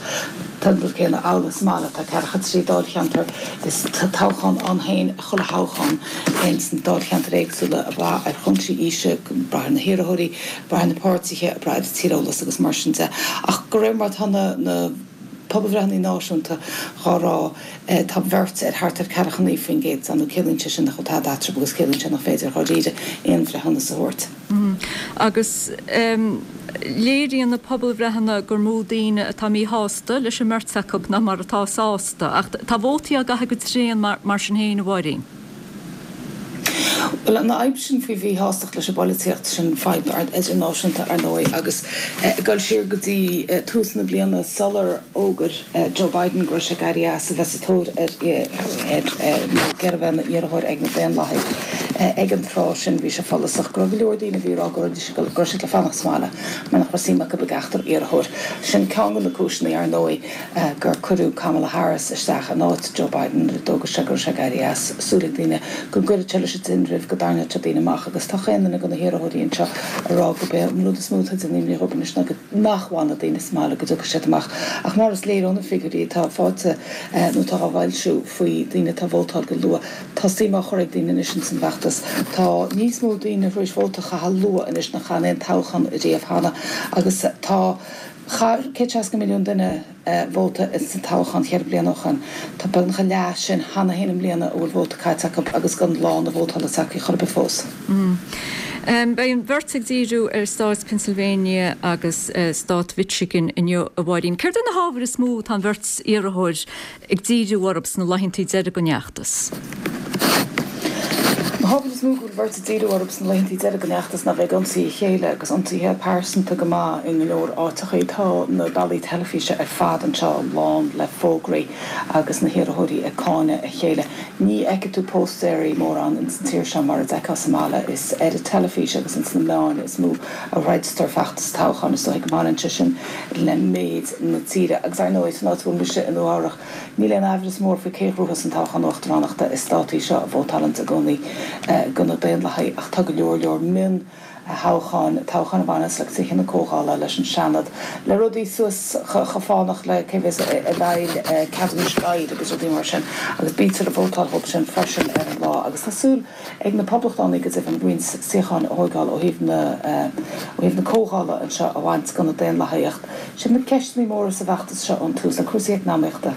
Tá an rud céanna amhlaidh sa mbaile, tá ceathracha trí dáilcheantar, is toghchán ann féin chuile thoghchán ins na dáilcheantair éagsúla, ag brath ar chúinsí aoise, ag brath ar na hiarrthóirí, ag brath ar na páirtithe, ag brath ar an tíreolas agus mar sin de. Ach de réir mar atá na pobalbhreitheanna náisiúnta dhá rá, tá an bheirt ar thart ar ceathracha 9% nó ciallaíonn sé sin nach bhfuil tada eatarthu agus ciallaíonn sé nach féidir dháiríre aon bhreithiúnas a thabhairt. Agus léiríonn na pobalbhreitheanna gur mó daoine atá míshásta leis an mbeirt acu ná mar atá sásta. Ach tá vótaí á gcaitheamh go tréan mar sin féin, a Mháirín. Bhuel, an fhadhb sin faoi mhíshástacht leis an bpolaitíocht, sin fadhb idirnáisiúnta, ar ndóigh, agus ag dul siar go dtí tús na bliana sular fhógair Joe Biden go raibh sé ag éirí as a bheith sa tóir ar nó ag iarraidh a bheith ina iarrthóir ag na Daonlathaigh ag an tráth sin, bhí sé follasach go raibh go leor daoine a bhí ag rá go raibh siad le fanacht sa mbaile mar nach raibh suim acu i gceachtar iarrthóir. Sin ceann de na cúiseanna, ar ndóigh, gur cuireadh Kamala Harris isteach in áit Joe Biden nuair a d'fhógair sé go raibh sé ag éirí as. Súil ag daoine go gcuirfeadh sé leis an tinreamh, go dtarraingeodh sé daoine amach agus tá chaon duine de na hiarrthóirí anseo ag rá gurb é an rud is mó atá ag déanamh imní dhóibh anois ná go nach bhfanfaidh daoine sa mbaile, go dtiocfaidh siad amach. Ach mar is léir ó na figiúirí atá faighte nó atá á bhfoilsiú faoi daoine atá ag vótáil go luath, tá suim á chur ag daoine anois ins an bhfeachtas. Tá níos mó daoine tar éis vóta a chaitheamh luath anois ná chaith in aon toghchán riamh cheana agus tá Chaith 160 milliún duine vóta ins an toghchán cheithre bliana ó shoin. Tá beagnach a leath sin cheana féin i mbliana a bhfuil vóta caite acu agus gan lá na vótála tagtha chor ar bith fós. Beidh an bheirt ag díriú ar stát Pennsylvania agus stát Mhichigan inniu, a Mháirín. Céard iad na hábhair is mó atá an bheirt iarrthóir ag díriú orthu sna laethanta deiridh den fheachtas? Na hábhair is mó go bhfuil an bheirt ag díriú orthu sna laethanta deiridh den fheachtas ná bheith ag ionsaí a chéile agus ionsaithe pearsanta go maith i go leor áiteachaí. Tá na ballaí teilifíse ar fad anseo lán le fógraí agus na hiarrthóirí ag cáineadh a chéile. Ní fheicfidh tú póstaeirí mórán ins an tír seo mar a d'fheicfeá sa mbaile. Is ar an teilifís agus ins na meáin is mó a throidtear feachtas toghcháin. Is dóigh go mbaineann sé sin le méid na tíre. Agus ar ndóigh, san áit a bhfuil mise, i Nua Eabhrach, níl aon aimhreas mór faoi cé ghnóthós an toghchán uachtaránachta. Is stát í seo a vótálanns i gcónaí do na Daonlathaigh, ach tá go leor leor mion thoghcháin, toghcháin a bhaineas le Tithe na Comhdhála, leis an Seanad, le rudaí suas chomh fánach le cé bheas i bhfeighil ceadúnais laghad agus rudaí mar sin, agus bítear ag vótáil dhóibh sin freisin ar an lá. Agus tá súil. ag na Poblachtánaigh go deimhin roinnt suíocháin a thóigeáil ó thaobh na ó thaobh na Comhdhála anseo a bhaint do na Daonlathaigh. Ach siad na ceisteanna móra sa bhfeachtas seo ón tús ná cúrsaí eacnamaíochta.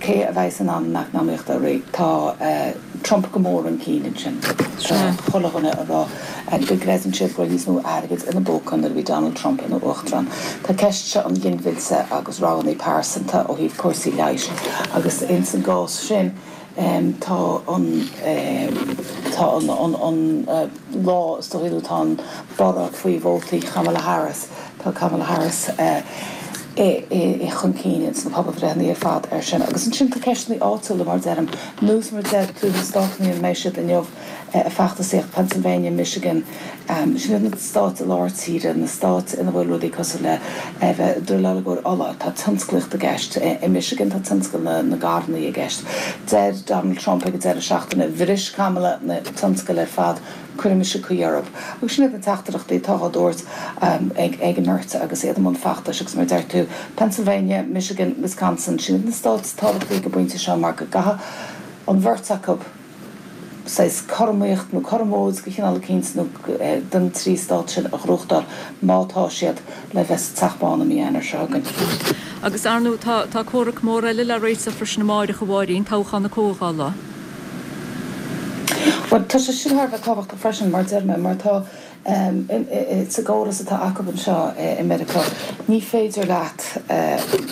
Cé a bheas in ann an eacnamaíocht a rith? Tá Trump go mór chun cinn ansin. Tá chuile dhuine ag rá go gcreideann siad go raibh níos mó airgid ina bpóca nuair a bhí Donald Trump ina uachtarán. Tá ceist seo an ghinmhillte agus roghanna pearsanta ó thaobh cúrsaí leighis agus ins an gcás sin, Tá an, tá an, an lá, is dóigh, nó tá an borradh faoi vótaí Kamala Harris, tá Kamala Harris i chun cinn ins na pobalbhreitheanna ar fad air sin. Agus ansin tá ceisteanna áitiúla, mar a deirim, nós mar a deir tú, na státanna ina mbeidh siad inniu, ag feachtasaíocht, Pennsylvania, Michigan, sin iad na stáit i lár tíre, na stáit ina bhfuil rudaí cosúil le bheith druileáil i gcomhair ola, tá tionsclaíocht i gceist. I Michigan tá tionscal na na gcarranna i gceist. Deir Donald Trump ag an deireadh seachtaine, bhris Kamala na tionscail ar fad, cuirfidh mise caoi orthu. Agus sin iad na teachtaireachtaí atá á dtabhairt ag ag an mbeirt agus iad i mbun feachtais agus mar a deir tú, Pennsylvania, Michigan, Wisconsin, sin iad na stáit is tábhachtaí ag an bpointe seo mar go gcaithfidh an bheirt acu, saghas cothromaíocht nó cothromóid de chineál eicínt nó den trí stát sin a ghnóthachtáil má tá siad le bheith sa Teach Bán i mí Eanáir seo chugainn. Agus, ar ndóigh, tá tá comhrac mór eile le réiteach freisin amáireach, a Mháirín, toghchán na Comhdhála. Bhuel, tá sé sin thar a bheith tábhachtach freisin, mar a deir mé, mar tá, sa gcóras atá acu anseo i Meiriceá, ní féidir leat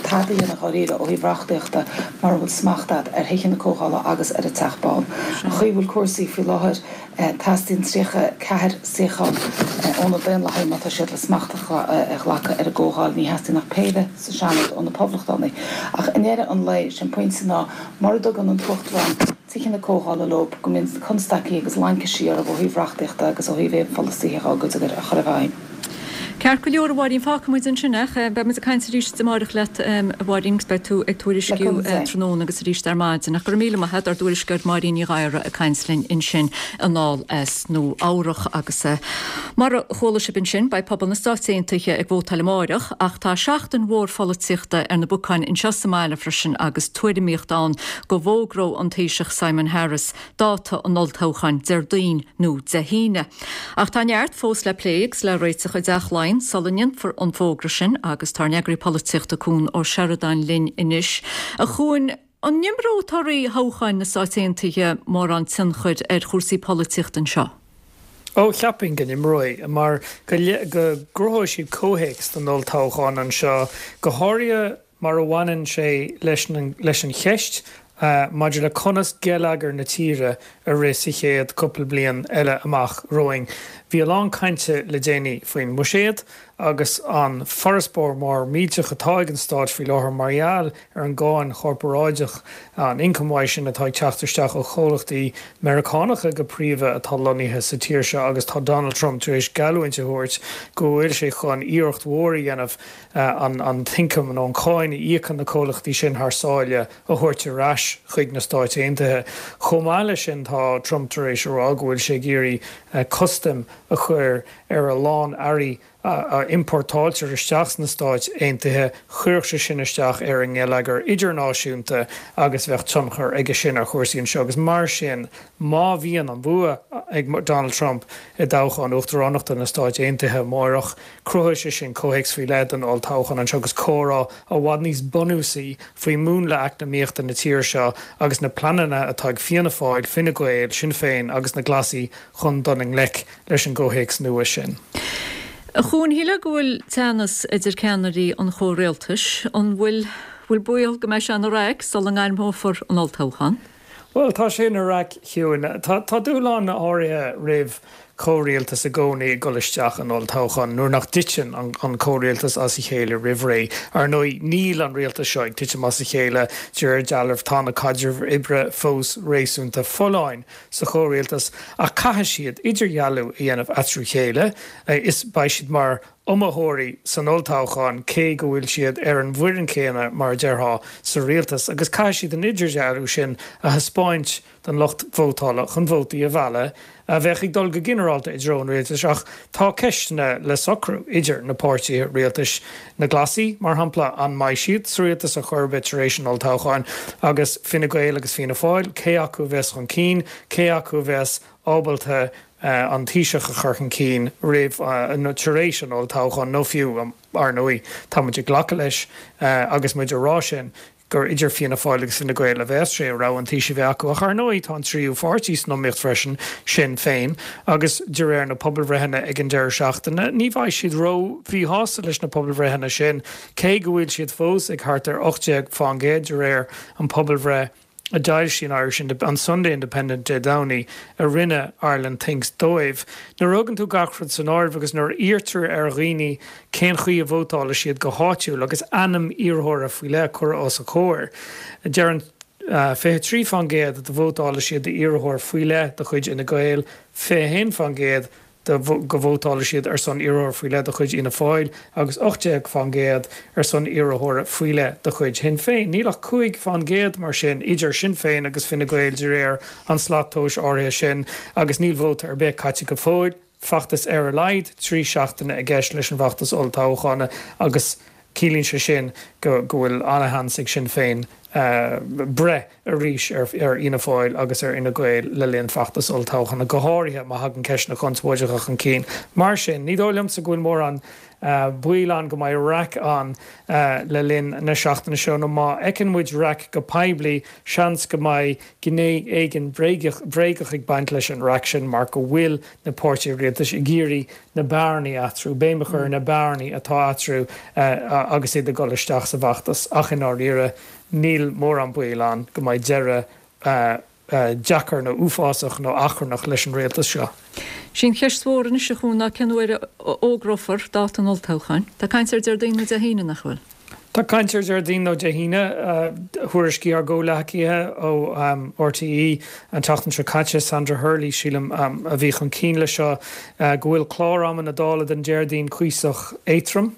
tada a dhéanamh dháiríre ó thaobh reachtaíochta mura bhfuil smacht agat ar Thithe na Comhdhála agus ar an Teach Bán. An chaoi a bhfuil cúrsaí faoi láthair, teastaíonn 34 suíochán ó na Daonlathaigh má tá siad le smacht a ghlacadh ar an gComhdháil. Ní theastaíonn ach péire sa Seanad ó na Poblachtánaigh. Ach i ndeireadh an lae, sé an pointe ná mura dtugann an tUachtarán, Tithe na Comhdhála leo, go mbíonn constaicí agus laincisí orthu ó thaobh reachtaíochta agus ó thaobh aon pholasaithe dhá gcuid a chur i bhfeidhm. Ceart go leor, a Mháirín, fágfaidh muid ansin é. Beidh muid ag caint arís amáireach leat, a Mháirín, agus beidh tú ag tuairisciú tráthnóna agus arís ar maidin. Ach go raibh míle maith agat, ár dtuairisceoir Máirín Ní Ghadhra ag caint linn ansin anall as Nua Eabhrach. Agus mar a chuala sibh ansin, beidh pobal na Stáit Aontaithe ag vótáil amáireach, ach tá seachtain mhór pholaitíochta ar na bacáin anseo sa mbaile freisin agus tuairimíocht ann go bhfógródh an Taoiseach Simon Harris dáta an olltoghcháin Déardaoin nó Dé hAoine. Ach tá neart fós le plé agus le réiteach i dTeach Laighean sula ndéanfar an fógra sin agus tá ár n-eagraí polaitíochta Cuan Ó Seireadáin linn anois. A Chuain, an n-imreoidh torthaí thoghcháin na Stáit Aontaithe mórán tionchair ar chúrsaí polaitíochta anseo? Ó, cheapfainn go n-imreoidh, mar go gcruthóidh siad comhthéacs don olltoghchán anseo, go háirithe mar a bhaineann sé leis leis an cheist maidir le conas geilleagar na tíre a rith sa chéad cúpla bliain eile amach romhainn. Bhí a lán cainte le déanaí faoin mbuiséad agus an farasbarr mór millteach atá ag an stát faoi láthair mar gheall ar an gcáin chorparáideach, an ioncam uaidh sin atá ag teacht isteach ó chomhlachtaí Meiriceánacha go príomha atá lonnaithe sa tír seo agus tá Donald Trump tar éis geallúint a thabhairt go bhfuil sé chun iarracht mhór a dhéanamh an t-ioncam nó an cháin a íocann na comhlachtaí sin thar sáile a thabhairt ar ais chuig na Stáit Aontaithe. Chomh maith leis sin, tá Trump tar éis a rá go bhfuil sé ag iarraidh custaim a chur ar a lán earraí a iompórtáiltear isteach sna Stáit Aontaithe. Chuirfeadh sé sin isteach ar an ngeilleagar idirnáisiúnta agus bheadh tionchar aige sin ar chúrsaí anseo agus mar sin, má bhíonn an bua ag Donald Trump i dtoghchán uachtaránachta na Stáit Aontaithe amárach, Cruthóidh sé sin comhthéacs faoi leith don olltoghchán anseo agus comhrá i bhfad níos bunúsaí faoi mhúnla eacnamaíochta na tíre seo agus na pleananna atá ag Fianna Fáil, Fine Gael, Sinn Féin agus na Glasaigh chun dul i ngleic leis an gcomhthéacs nua sin. A Chuain, shílfeá go bhfuil teannas idir ceannairí an chomhrialtais. An bhfuil bhfuil baol go mbeidh sé ina raic sula ngairmeofar an olltoghchán? Bhuel, tá sé ina raic, a Shiúin. Tá dúshláin áirithe roimh chomhrialtas i gcónaí ag dul isteach in olltoghchán nuair nach dtiteann an comhrialtas as a chéile roimh ré. Ar ndóigh, níl an rialtas seo ag titim as a chéile, de réir dealraimh. Tá na caidrimh oibre fós réasúnta folláin sa chomhrialtas ach caithfidh siad idirdhealú a dhéanamh eatarthu chéile is beidh siad mar iomaitheoirí san olltoghchán cé go bhfuil siad ar an bhfoireann chéanna, mar a déarfá, sa rialtas, agus caithfidh siad an idirdhealú sin a thaispeáint don lucht vótála chun vótaí a mhealladh, a bheadh ag dul go ginearálta i dtreo an rialtais. Ach tá ceisteanna le socrú idir na páirtithe rialtais, na Glasaigh, mar shampla, an mbeidh siad sa rialtas ar chor ar bith tar éis an olltoghcháin, agus Fine Gael agus Fianna Fáil, cé acu a bheas chun cinn, cé acu a bheas ábalta an Taoiseach a chur chun cinn roimh nó tar éis an olltoghcháin, nó fiú, ar ndóigh, tá muid ag glacadh leis agus muid ag rá sin, gur idir Fianna Fáil agus Fine Gael a bheas sé, rogha an Taoisigh a bheith acu. Ach ar ndóigh, tá an tríú pháirtí san iomaíocht freisin, Sinn Féin, agus de réir na pobalbhreitheanna ag an deireadh seachtaine, ní bheidh siad ró-mhíshásta leis na pobalbhreitheanna sin, cé go bhfuil siad fós ag thart ar 18 fán gcéad de réir an pobalbhreith. a d'fhoilsigh an Irish an Sunday Independent Dé Domhnaigh a rinne Ireland Thinks dóibh. Nuair a thugann tú gach rud san áireamh agus nuair a iarrtar ar dhaoine cén chaoi a vótálfaidh siad go háitiúil agus ainm iarrthóra faoi leith curtha os a chomhair, deireann 23 fán gcéad go vótálfaidh siad d'iarrthóir faoi leith de chuid Fhine Gael, 21 fán gcéad de go vótálfaidh siad ar son iarrthóra faoi leith de chuid Fhianna Fáil agus 18 fán gcéad ar son iarrthóra faoi leith de chuid Shinn Féin. Níl ach 5 fán gcéad, mar sin, idir Sinn Féin agus Fine Gael de réir an slat tomhais áirithe sin agus níl vóta ar bith caite go fóill. Feachtas ar a laghad 3 seachtaine i gceist leis an bhfeachtas olltoghcháin agus ciallaíonn sé sin go bhfuil an-sheans ag Sinn Féin breith arís ar Fhianna Fáil agus ar Fhine Gael le linn feachtas olltoghcháin, go háirithe má thagann ceisteanna conspóideacha chun cinn. Mar sin, ní dóigh liomsa go bhfuil mórán. Baol ann go mbeidh raic ann le linn na seachtaine seo, nó má fheiceann muid raic go poiblí, seans go mbeidh gné éigin bhréagach ag baint leis an raic sin mar go bhfuil na páirtithe rialtais ag iarraidh na bearnaí eatarthu, béim a chur ar na bearnaí atá eatarthu agus iad ag dul isteach sa bhfeachtas. Ach i ndáiríre, níl mórán baoil ann go mbeidh deireadh deacair nó uafásach nó achrannach leis an rialtas seo. Sí an cheist mhór anois, a Chuain, ná cén uair a fhógrófar dáta an olltoghcháin. Tá caint ar Déardaoin nó Dé hAoine, nach bhfuil? Tá caint ar Déardaoin nó Dé hAoine. Thuairiscigh ár gcomhghleacaithe ó RTÉ an tseachtain seo caite, Sandra Hurley, sílim, a bhí chun cinn leis seo, go bhfuil clár ama na Dála don Déardaoin cuíosach éadrom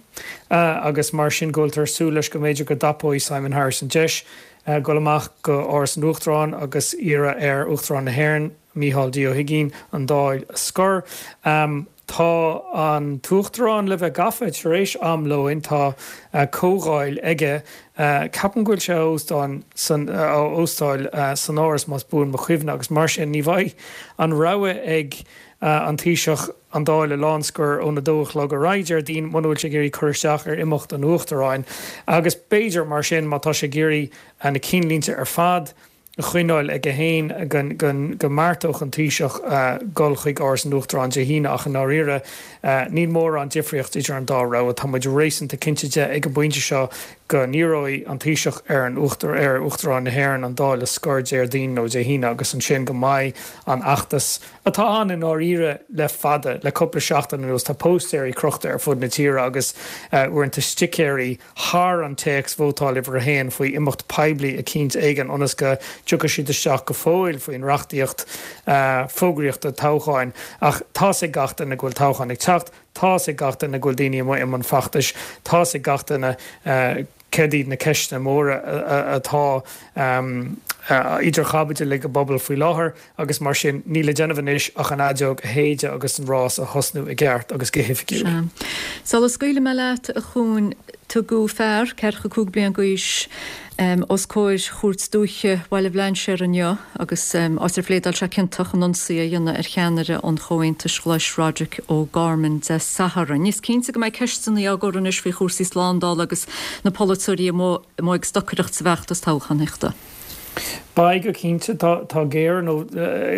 agus mar sin go bhfuiltear ag súil leis go mb'fhéidir go dtapóidh Simon Harris an deis dul amach go Áras an Uachtaráin agus iarraidh ar Uachtarán na hÉireann, Micheál D. Ó hUigínn, an Dáil a scor. Tá an tUachtarán le bheith gafa tar éis am lóin, tá comhdháil aige, ceapaim go bhfuil sé á óstáil san, á óstáil san Áras más buan mo chuimhne agus mar sin ní bheidh an rogha ag an Taoiseach an Dáil a lánscor ón 2 a chlog ar aghaidh Déardaoin muna bhfuil sé ag iarraidh cur isteach ar imeacht an Uachtaráin agus b'fhéidir mar sin má tá sé ag iarraidh na cinnlínte ar fad a choinneáil aige féin go mbeartódh an Taoiseach dul chuig Áras an Uachtaráin Dé hAoine ach i ndáiríre níl mórán difríocht idir an dá rogha. Tá muid réasúnta cinnte de ag an bpointe seo go n-iarróidh an Taoiseach ar an ar Uachtarán na hÉireann an Dáil a scor Déardaoin nó Dé hAoine agus ansin go mbeidh an feachtas atá ann i ndáiríre le fada, le cúpla seachtain anuas. Tá póstaeirí crochta ar fud na tíre agus uaireanta sticéirí thar an téacs 'Vótáil Uimhir a hAon' faoi imeacht poiblí eicínt éigin ionas go dtiocfaidh siad isteach go fóill faoin reachtaíocht fógraíochta toghcháin. Ach tá's ag gach duine go bhfuil toghchán ag teacht, tá's ag gach duine go bhfuil daoine amuigh i mbun feachtais, tá's ag gach duine céard iad na ceisteanna móra atá idir chaibidil ag an bpobal faoi láthair. Agus mar sin, níl le déanamh anois ach an fheadóg a shéideadh agus an rás a thosnú i gceart agus go hoifigiúil. Sea. Sula scaoilfidh mé leat, a Chuain, tugadh fear, 45 bliain d'aois, os comhair Chúirt Dúiche Bhaile Bhlainséir inniu agus áit ar phléadáil sé ciontach in ionsaí a dhéanamh ar cheannaire an Chomhaontais Ghlais Roderic O'Gorman Dé Sathairn. Is cinnte go mbeidh ceisteanna á gcur anois faoi chúrsaí slándála agus na polaiteoirí amuigh ag stocaireacht sa bhfeachtas toghchánaíochta. Beidh, go cinnte. Tá géire nó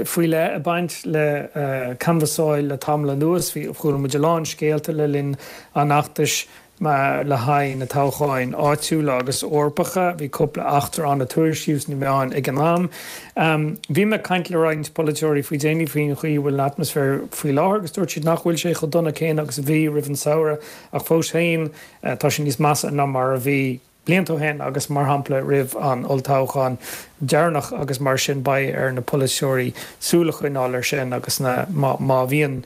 faoi leith ag baint le canbhasáil le tamall anuas. Bhí, chuala muid a lán scéalta le linn an fheachtais le haghaidh na toghcháin áitiúla agus Eorpacha. Bhí cúpla eachtra ann a tuairiscíodh sna meáin ag an am. Bhí mé ag caint le roinnt polaiteoirí faoi déanaí faoin chaoi a bhfuil an atmaisféar faoi láthair agus dúirt siad nach bhfuil sé chomh dona céanna agus a bhí roimh an samhradh ach fós féin tá sé níos measa ná mar a bhí blianta ó shin agus mar shampla roimh an olltoghchán deireanach agus mar sin beidh ar na polaiteoirí súil a choinneáil ar sin agus na má bhíonn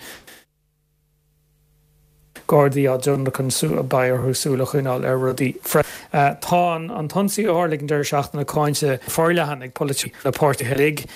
Gardaí á dtionlacan beidh orthu súil a choinneáil ar rudaí freisin. Tá an t-ionsaí a tharla ag an deireadh seachtaine cáinte forleathan ag polaiteoirí na páirtithe uilig.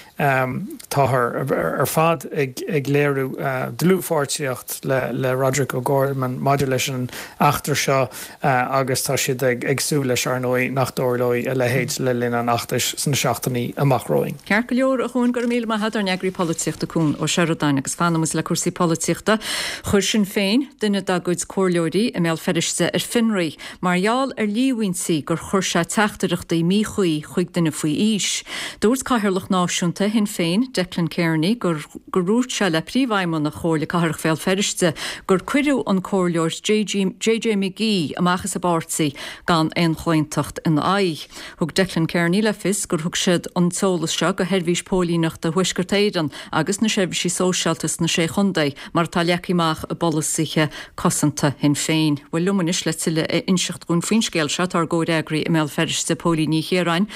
Táthar ar fad ag léiriú dlúthpháirtíocht le Roderic O'Gorman maidir leis an eachtra seo agus tá siad ag súil leis, ar ndóigh, nach dtarlóidh a leithéid le linn an fheachtais sna seachtainí amach romhainn. Ceart go leor, a Chuain, go raibh míle maith agat, ár n-eagraí polaitíochta Cuan Ó Seireadáin. Agus fanfaidh muid le cúrsaí polaitíochta. Chuir Sinn Féin duine dá gcuid comhairleoirí i mBéal Feirste ar fionraí mar gheall ar líomhaintí gur chuir sé teachtaireachtaí míchuí chuig duine faoi aois. Dúirt Cathaoirleach Náisiúnta Shinn Féin, Declan Kearney, gur gur dhúirt sé le Príomhfheidhmeannach Chomhairle Cathrach Bhéal Feirste gur cuireadh an Comhairleoir JJ McGee amach as an bpáirtí gan aon chlaontacht ina aghaidh. Thug Declan Kearney le fios gur thug siad an t-eolas seo go Sheirbhís Póilíneachta Thuaisceart Éireann agus na seirbhísí sóisialta sna Sé Chontae mar atá leagtha amach i bpolasaithe cosanta Shinn Féin. Bhuel liom anois le tuilleadh a inseacht dhúinn faoin scéal seo tá ár gcomhfhreagraí i mBéal Feirste, Póilín Ní Chiaráin.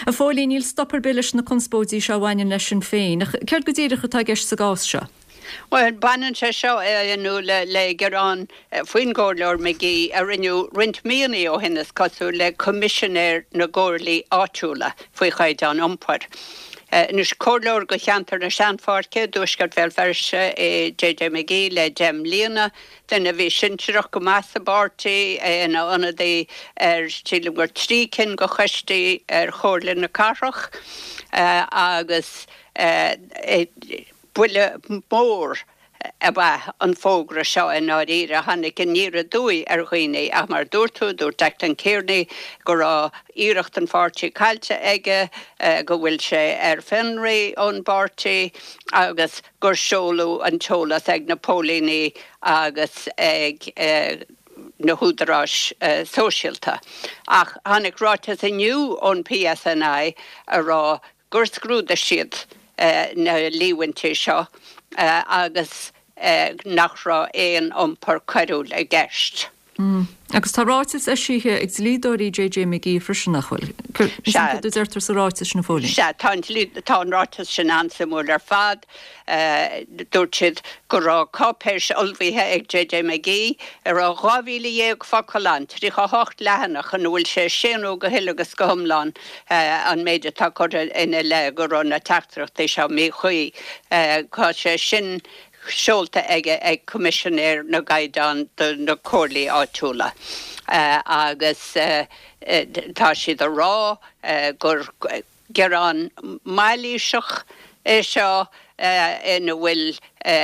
A Phóilín, níl stop ar bith leis na conspóidí seo a bhaineann le Sinn Féin, ach céard go díreach atá i gceist sa gcás seo? Bhuel, baineann sé seo, a Fhionnuala, le gearán faoin gComhairleoir McGee a rinneadh roinnt míonna ó shin, is cosúil, le Coimisinéir na gComhairlí Áitiúla faoi chaighdeán iompair. Anois, comhairleoir do cheantar na Seanpháirce i dtuaisceart Bhéal Feirste é JJ McGee le deich mbliana, duine a bhí sinsearach go maith sa bpáirtí, é ina ionadaí ar, sílim gur 3 cinn de choistí ar Chomhairle na Cathrach agus buille mór. ab ea an fógra seo i ndáiríre. Tháinig aniar aduaidh ar dhaoine ach mar a dúirt tú, dúirt Declan Kearney go raibh iarracht an pháirtí caillte aige, go bhfuil sé ar fionraí ón bpáirtí agus gur seoladh an t-eolas ag na póilíní agus ag na húdaráis sóisialta. Ach tháinig ráiteas inniu ón PSNI a rá gur scrúdaigh siad na líomhaintí seo agus nach raibh aon iompar coiriúil i gceist. Agus tá ráiteas eisithe ag dlíodóirí JJ McGee freisin, nach bhfuil? Céard a deirtear sa ráiteas sin, a Phóilín? Sea, tá an tá an ráiteas sin an-suimiúil ar fad. Dúirt siad go raibh cáipéis ullmhaithe ag JJ McGee a raibh 12,000 focal ann, 38 leathanach, ina bhfuil sé ag séanadh go huile agus go hiomlán an méid atá curtha ina leith go raibh na teachtaireachtaí seo míchuí. Tá sé sin seolta aige ag Coimisinéir na gCaighdeán do na Comhairlí Áitiúla agus tá siad a rá gur gearán mailíseach é seo ina bhfuil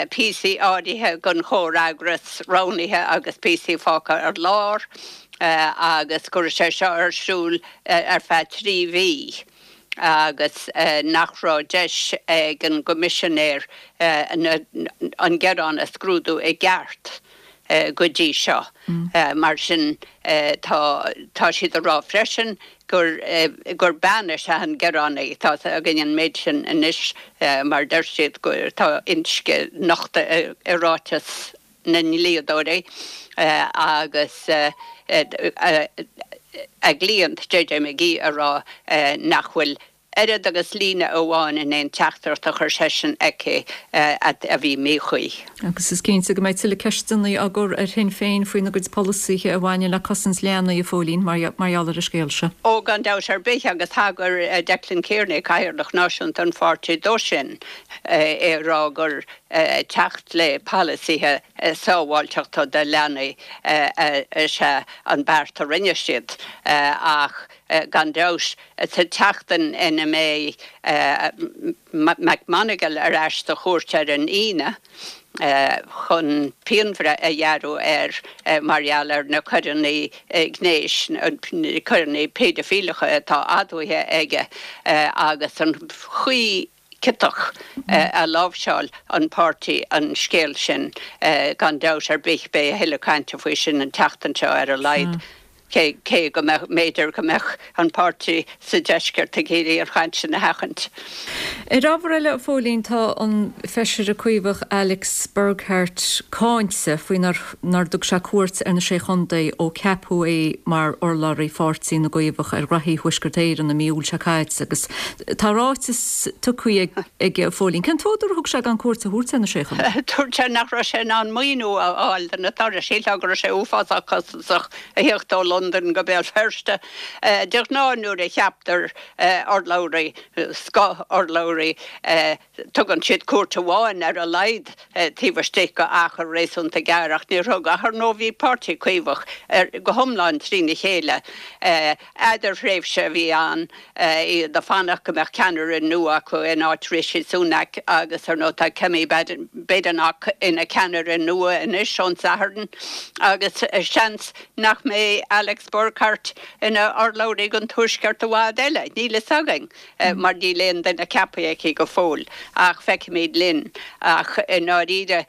píosaí áirithe den chomhfhreagras roghnaithe agus píosaí fágtha ar lár agus go raibh sé seo ar siúl ar feadh 3 mhí agus nach raibh deis ag an gCoimisinéir an gearán a scrúdú i gceart go dtí seo. Mar sin tá tá siad a rá freisin gur gur bean is ea an gearánaí. Tá a fhios againn an méid sin anois mar deir siad go tá inscne nochta i ráiteas na ndlíodóirí agus a gcliant JJ McGee a rá nach bhfuil oiread agus líne amháin in aon teachtaireacht a chuir seisean aici a bhí míchuí. Agus is cinnte go mbeidh tuilleadh ceisteanna á gcur ar Shinn Féin faoina gcuid polasaithe a bhaineann le cosaint leanaí, a Phóilín, mar gheall ar an scéal seo. Ó, gan dabht ar bith, agus thagair Declan Kearney, Cathaoirleach Náisiúnta an pháirtí, dó sin, é ag rá gur teacht le polasaithe sábháilteachta do leanaí is ea an beart a rinne siad. Ach gan dabht, sa tseachtain ina mbeidh McMonagle ar ais sa chúirt ar an Aoine chun pianbhreith a ghearradh air mar gheall ar na coireanna gnéis, coireanna péidifileacha atá admhaithe aige agus an chaoi chiotach a láimhseáil an páirtí an scéal sin. Gan dabht ar bith beidh a thuilleadh cainte faoi sin an tseachtain seo ar a laghad, cé go mbeadh, mb'fhéidir go mbeadh an páirtí sa deisceart ag iarraidh an chaint sin a sheachaint. Ar ábhar eile, a Phóilín, tá an Feisire Caomhach Alex Burghart cáinte faoi nár nár dtug sé cuairt ar na Sé Chontae ó ceapadh é mar urlabhraí Pháirtí na gCaomhach ar ghraithí Thuaisceart Éireann i mí Iúil seo caite agus tá ráiteas tugtha aige, a Phóilín. Cén t-údar a thug sé gan cuairt a thabhairt ar na Sé Chontae? Dúirt sé nach raibh sé in ann maoiniú a fháil do na turais. Shílfeá go raibh sé uafásach costasach a theacht ó Londain go Béal Feirste. De ghnáth nuair a cheaptar urlabhraí, scoth-urlabhraí, Tugann siad cuairt amháin ar a laghad taobh istigh de achar réasúnta gearr ach níor thug. Ach ar ndóigh bhí Páirtí Caomhach go hiomlán trína chéile. Eadarthréimhse a bhí ann, iad ag fanacht go mbeadh ceannaire nua acu in áit Rishi Sunak agus ar ndóigh tá Kemi Badenoch ina ceannaire nua anois ón Satharn agus seans nach mbeidh Alex Burghart ina urlabhraí don Tuaisceart i bhfad eile, níl fhios againn. mar níl aon duine ceaptha aici go fóill, ach feicfimid linn. Ach i ndáiríre,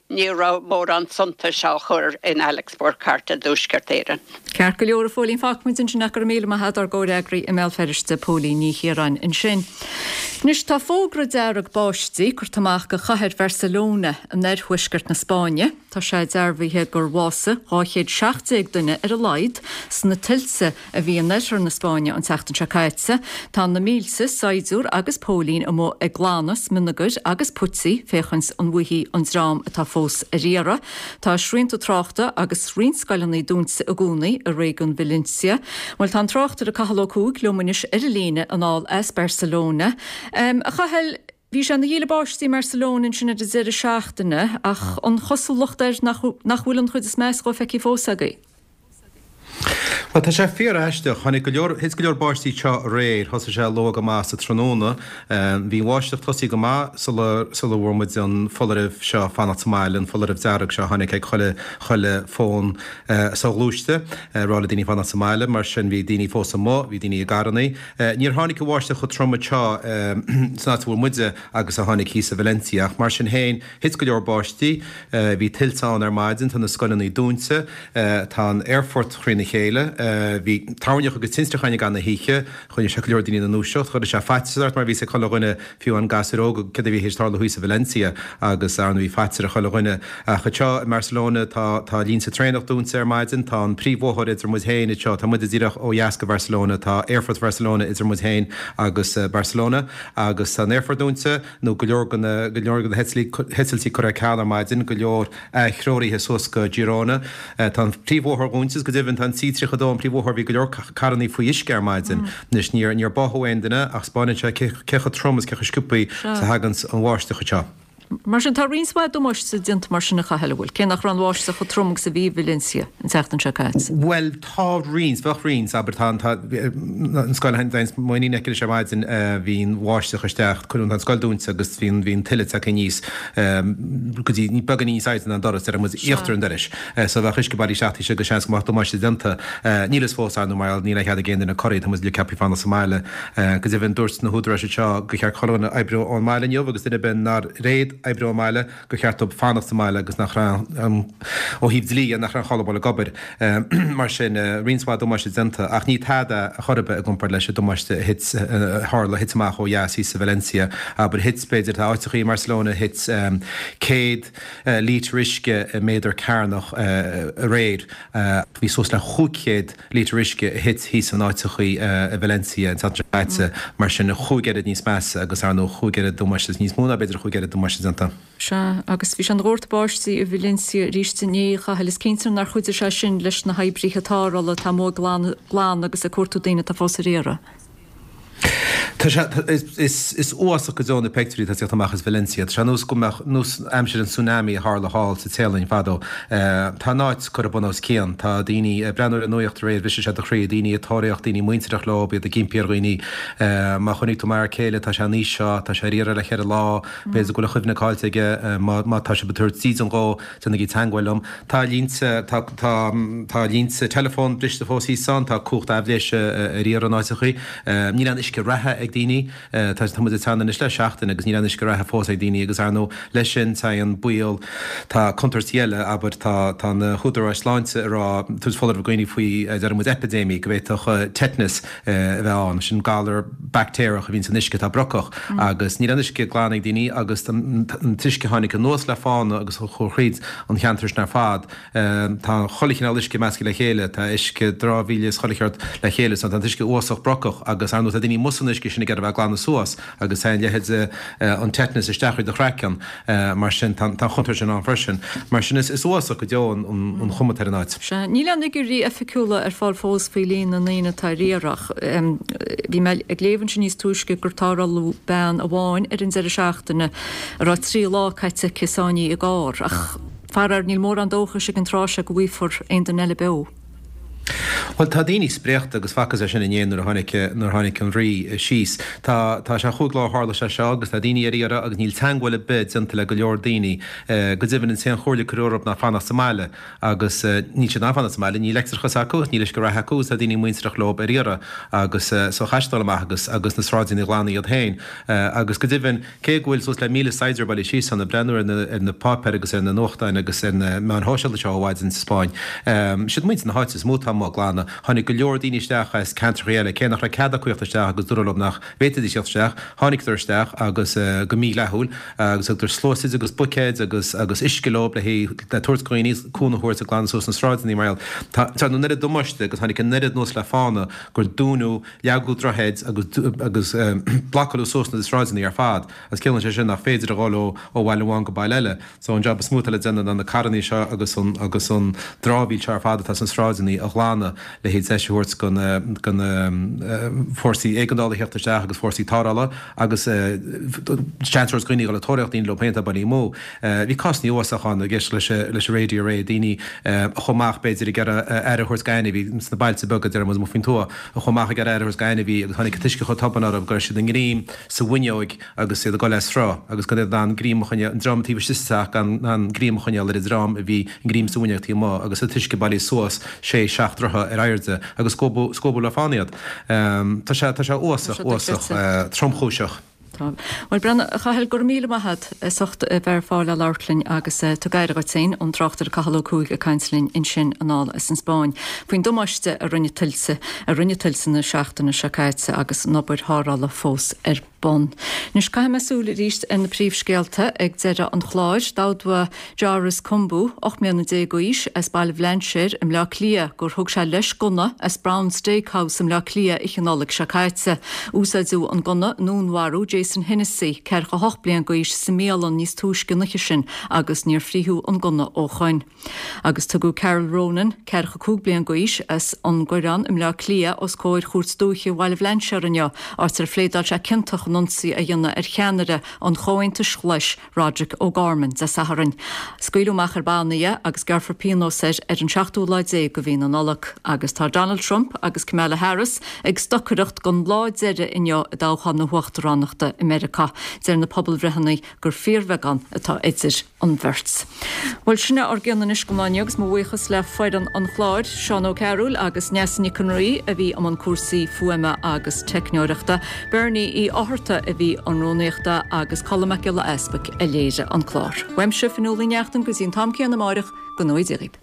ní raibh mórán suntais á chur in Alex Burghart i dTuaisceart Éireann. Ceart go leor, a Phóilín, fágfaimid ansin é. Go raibh míle maith agat, ár gcomhfhreagraí i mBéal Feirste, Póilín Ní Chiaráin ansin. Anois, tá fógra dearg báistí curtha amach do chathair Bharcelona in oirthuaisceart na Spáinne. Tá sé dearbhaithe gur bhásaigh 217 duine ar a laghad sna tuilte a bhí in oirthear na Spáinne an tseachtain seo caite. Tá na mílte saighdiúir agus póilín amuigh ag glanadh smionagair agus puití féachaint an bhfaighfí an dream atá fós ar iarraidh. Tá srianta tráchta agus roinnt scoileanna dúnta i gcónaí i réigiún Valencia. Bhuel, tá an tráchtaire Cathal Ó Cuaig liom anois ar an líne anall as Barcelona. A Chathail, bhí sé ina dhíle báistí i mBarcelona ansin ar an deireadh seachtaine ach an chosúlacht air nach bhfuil an chuid is measa dhó feicthe fós agaibh? Bhuel, tá sé fíor-aisteach. Tháinig go leor, thit go leor báistí anseo aréir. Thosaigh sé luath go maith sa tráthnóna. Bhí an bháisteach tosaithe go maith sula, sula bhfuair muid an foláireamh seo fanacht sa mbaile, an foláireamh dearg seo a tháinig ag chuile, chuile fón soghluaiste, ag rá le daoine fanacht sa mbaile. Mar sin bhí daoine fós amuigh, bhí daoine i gcarrannaí. Níor tháinig an bháisteach chomh trom anseo san áit a bhfuil muide agus a tháinig thíos i Valencia ach mar sin féin thit go leor báistí. Bhí tuilte ann ar maidin, tá na scoileanna dúnta. Tá an aerfort thrína chéile. Bhí toirneach agus tintreach ann i gcaitheamh na hoíche. Choinnigh sé go leor daoine ina ndúiseacht. Chuir sé faitíos ort mar bhí a fhios ag chuile dhuine, fiú amháin gasúir óga, céard a bhí théis tarlú thíos i Valencia agus ar ndóigh bhí faitíos ar chuile dhuine. Ach anseo i mBarcelona tá tá línte traenach dúnta ar maidin. Tá an príomhbhóthar idir muid féin anseo, tá muide díreach ó dheas go Barcelona, tá aerfort Bharcelona idir muid féin agus Barcelona agus tá an aerfort dúnta nó go leor de na go leor de na heitiltí curtha ar ceal ar maidin, go leor atreoraithe suas go Girona. Tá an príomhbhóthar dúnta is go deimhin tá an C32, an príomhbhóthar, bhí go leor carrannaí faoi uisce ar maidin. Anois níor níor báthadh aon duine ach 'spáineann sé cé cé chomh trom is cé chomh sciobthaí is a thaganns an bháisteach anseo. Mar sin tá roinnt mhaith damáiste déanta mar sin a Chathail, an bhfuil? Cé nach raibh an bháisteach chomh trom agus a bhí i Valencia an tseachtain seo caite. Bhuel tá roinnt, bheadh roinnt, abair tá an tá an scoil a mo iníon aici leis ar maidin bhí an bháisteach isteach, cuireadh an scoil dúnta agus bhí an bhí an tuile tagtha aníos. go dtí beagáinín níos airde ná an doras, déarfaidh muid íochtar an dorais. So bheadh uisce bailithe isteach taobh istigh agus seans go mbeadh damáiste déanta. Níl fhios fós, ar ndóigh, mar níl aon chead ag aon duine corraí, tá muid uilig ceaptha fanacht sa mbaile. Go deimhin, dúirt na húdaráis anseo gur cheart chuile dhuine oibriú ón mbaile inniu agus duine ar bith nár fhéad oibriú ón mbaile, gur cheart dóibh fanacht sa mbaile agus nach raibh, ó thaobh dlí dhe, nach raibh aon chall dul ag obair. Mar sin, roinnt mhaith damáiste déanta, ach ní tada ar chor ar bith i gcomparáid leis an damáiste a thit, a tharla, a thit amach ó dheas thíos i Valencia. Abair, thit, b'fhéidir, tá áiteachaí i mBarcelona, thit 100 lítear uisce i méadar cearnach aréir. Bhí suas le 500 lítear uisce a thit thíos in áiteachaí i Valencia an tseachtain seo caite. Mar sin, chúig oiread níos measa agus, ar ndóigh, chúig oiread damáiste, níos mó ná b'fhéidir chúig oiread damáiste déanta. Sea, agus bhí sé ina dhórtadh báistí i Valencia arís inné, a Chathail. Is cinnte nár chuidigh sé sin leis na hoibrithe tarrthála atá amuigh ag glanadh agus ag cuartú daoine atá fós ar iarraidh. Tá sé, is, is uafásach go deo na peictiúirí atá ag tíocht amach as Valencia. Tá sé ar nós go mbeadh, nós aimsir an tsunami a tharla thall sa Téalainn fadó. Tá an áit curtha bun os cionn. Tá daoine ag breathnú ar an nuaíocht aréir, bhriseadh sé do chroí, daoine ag tóraíocht, daoine muintireach leo, iad ag impí ar dhaoine. Má chonaic tú m'fhear céile, tá sé in aois seo, tá sé ar iarraidh le cheithre lá. B'fhéidir go bhfuil a chuimhne caillte aige. Má tá sibh ag tabhairt dídean dhó, déanaigí teagmháil liom. Tá línte, tá, tá, tá línte teileafóin briste fós thíos ann, tá cumhacht aibhléise ar iarraidh in áiteachaí. Níl aon uisce reatha ag daoine. Tá, tá muid ag teannadh anois le seachtain agus níl aon uisce reatha fós ag daoine agus ar ndóigh leis sin téann baol, tá contúirtí eile, abair, tá, tá na húdaráis sláinte ag rá, tabhairt foláireamh do dhaoine faoi, deir muid, eipidéimí, go bhféadfadh tetanus, a bheith ann. Sin galar baictéarach a bhíonn san uisce atá brocach agus níl aon uisce glan ag daoine agus an t-uisce a tháinig anuas le fána agus a chuaigh thríd an cheantar sin ar fad, tá chuile chineál uisce measctha le chéile, tá uisce dramhaíola is chuile cheart le chéile so tá an t-uisce uafásach brocach agus ar ndóigh tá daoine amuigh san uisce sin ag iarraidh a bheith ag glanadh suas agus téann leithéid an tetanus isteach thríd do chraiceann. Mar sin, tá an chontúirt sin ann freisin. Mar sin, is uafásach go deo an chuma atá ar an áit. Sea, níl aon fhigiúirí oifigiúla ar fáil fós faoi líon na ndaoine atá ar iarraidh ach bhí mé ag léamh ansin níos túisce gur tarrtháladh bean amháin ar an deireadh seachtaine a raibh 3 lá caite aici sáinnithe i gcarr ach faraor níl mórán dóchais ag an tráth seo go bhfaighfear aon duine eile beo. Bhuel, tá daoine spréachta agus facthas é sin inné nuair a tháinig, nuair a tháinig an Rí síos. Tá, tá sé chúig lá ó tharla sé seo agus tá daoine ar iarraidh agus níl teagmháil ar bith déanta le go leor daoine. Go deimhin, an t-aon chomhairle a cuireadh orthu ná fanacht sa mbaile agus níl siad in ann fanacht sa mbaile, níl leictreachas acu, níl uisce reatha acu agus tá daoine muintireach leo ar iarraidh agus so chaithfidh siad dul amach agus, agus na sráideanna a ghlanadh iad féin. Agus go deimhin, Cé go bhfuil suas le 1,000 saighdiúir bailithe síos ann, ag breathnú ar na ar na páipéir agus ar na nuachtáin agus ar na meáin shóisialta seo ó mhaidin sa Spáinn, siad muintir na háite is mó atá amuigh ag glanadh. Tháinig go leor daoine isteach as ceantracha eile, cé nach raibh cead acu theacht isteach agus dúradh leo nach bhféadfaidís theacht isteach, tháinigeadar isteach agus go mídhleathúil agus thugadar sluasaid agus buicéid agus agus uisce leo le le tabhairt do dhaoine, cúnamh a thabhairt ag glanadh suas na sráideanna mar gheall. Tá tá an oiread damáiste agus tháinig an oiread anuas le fána gur dúnadh Leagadh droichid agus blocáladh suas na sráideanna ar fad agus ciallaíonn sé sin nach féidir a dhul ó bhaile amháin go baile eile. So an job is mó atá le déanamh ná na carrannaí seo agus an agus an dramhaíl seo ar fad atá sna sráideanna a ghlanadh. ghlanadh le haghaidh deis a thabhairt do na fórsaí éigeandála a theacht isteach agus fórsaí tarrthála agus seans a thabhairt do dhaoine a dhul ag tóraíocht daoine leo féin atá bailithe amú. Bhí cásanna uafásacha ann ag éisteacht leis an raidió aréir, daoine a chuaigh amach b'fhéidir ag iarraidh aire a thabhairt d'ainmhí sna bailte beaga, deir muid amuigh faoin tuath, a chuaigh amach ag iarraidh aire a thabhairt d'ainmhí agus tháinig an t-uisce chomh tobann orthu go raibh siad a ngreim sa bhfuinneoig agus iad ag dul as sruth agus gan iad in ann greim a choinneáil, an dream taobh istigh sa teach gan in ann greim a choinneáil ar an dream a bhí a ngreim sa bhfuinneog taobh amuigh agus an t-uisce bailithe suas sé, seacht dtroithe ar airde agus scuabadh leo fána iad. Tá sé, tá sé uafásach, uafásach, tromchúiseach. Tá. Bhuel, Breandán, a Chathail, go raibh míle maith agat as ucht a bheith ar fáil le labhairt linn agus tug aire dhuit féin, an tráchtaire Cathal Ó Cuaig ag caint linn ansin anall as an Spáinn faoin damáiste a rinne tuilte, a rinne tuilte na seachtaine seo caite agus an obair tharrthála fós ar bun. Anois caithfidh mé súil arís ar na príomhscéalta ag deireadh an chláir. D'admhaigh Joris Cumbu, 18 mbliana d'aois, as Baile Bhlainséir i mBleá Cliath gur thug sé leis gunna as Brown Steak House i mBleá Cliath oíche Nollag seo caite. Úsáideadh an gunna i ndúnmharú Jason Hennessy, 48 bliain d'aois, sa mbialann níos túisce an oíche sin agus níor frítheadh an gunna ó shoin. Agus tugadh Carol Ronan, 45 bliain d'aois, as an gCoireán i mBleá Cliath os comhair Chúirt Dúiche Bhaile Bhlainséir inniu, áit ar phléadáil sé ciontach in ionsaí a dhéanamh ar cheannaire an Chomhaontais Ghlais, Roderic O'Gorman, Dé Sathairn. Scaoileadh amach ar banna é agus gearrfar pionós air ar an seachtú lá déag de mhí na Nollag. Agus tá Donald Trump agus Kamala Harris ag stocaireacht don lá deiridh inniu i dtoghchán na huachtaránachta i Meiriceá. Deir na pobalbhreitheanna gur fíorbheagán atá idir an bheirt. Bhuel, sin é ár gcion anois don lá inniu agus mo bhuíochas le foireann an chláir, Seán Ó Cearúil agus Neasa Nic an Rí a bhí i mbun cúrsaí fuaime agus teicneoireachta, Bernie Uí Fhátharta a bhí i mbun rúnaíochta agus Colm Mac Giolla Easpaig a léirigh an clár. Uaimse, Fionnuala Ní Neachtain, go dtí an t-am céanna amáireach, go ngnóthaí Dia dhaoibh.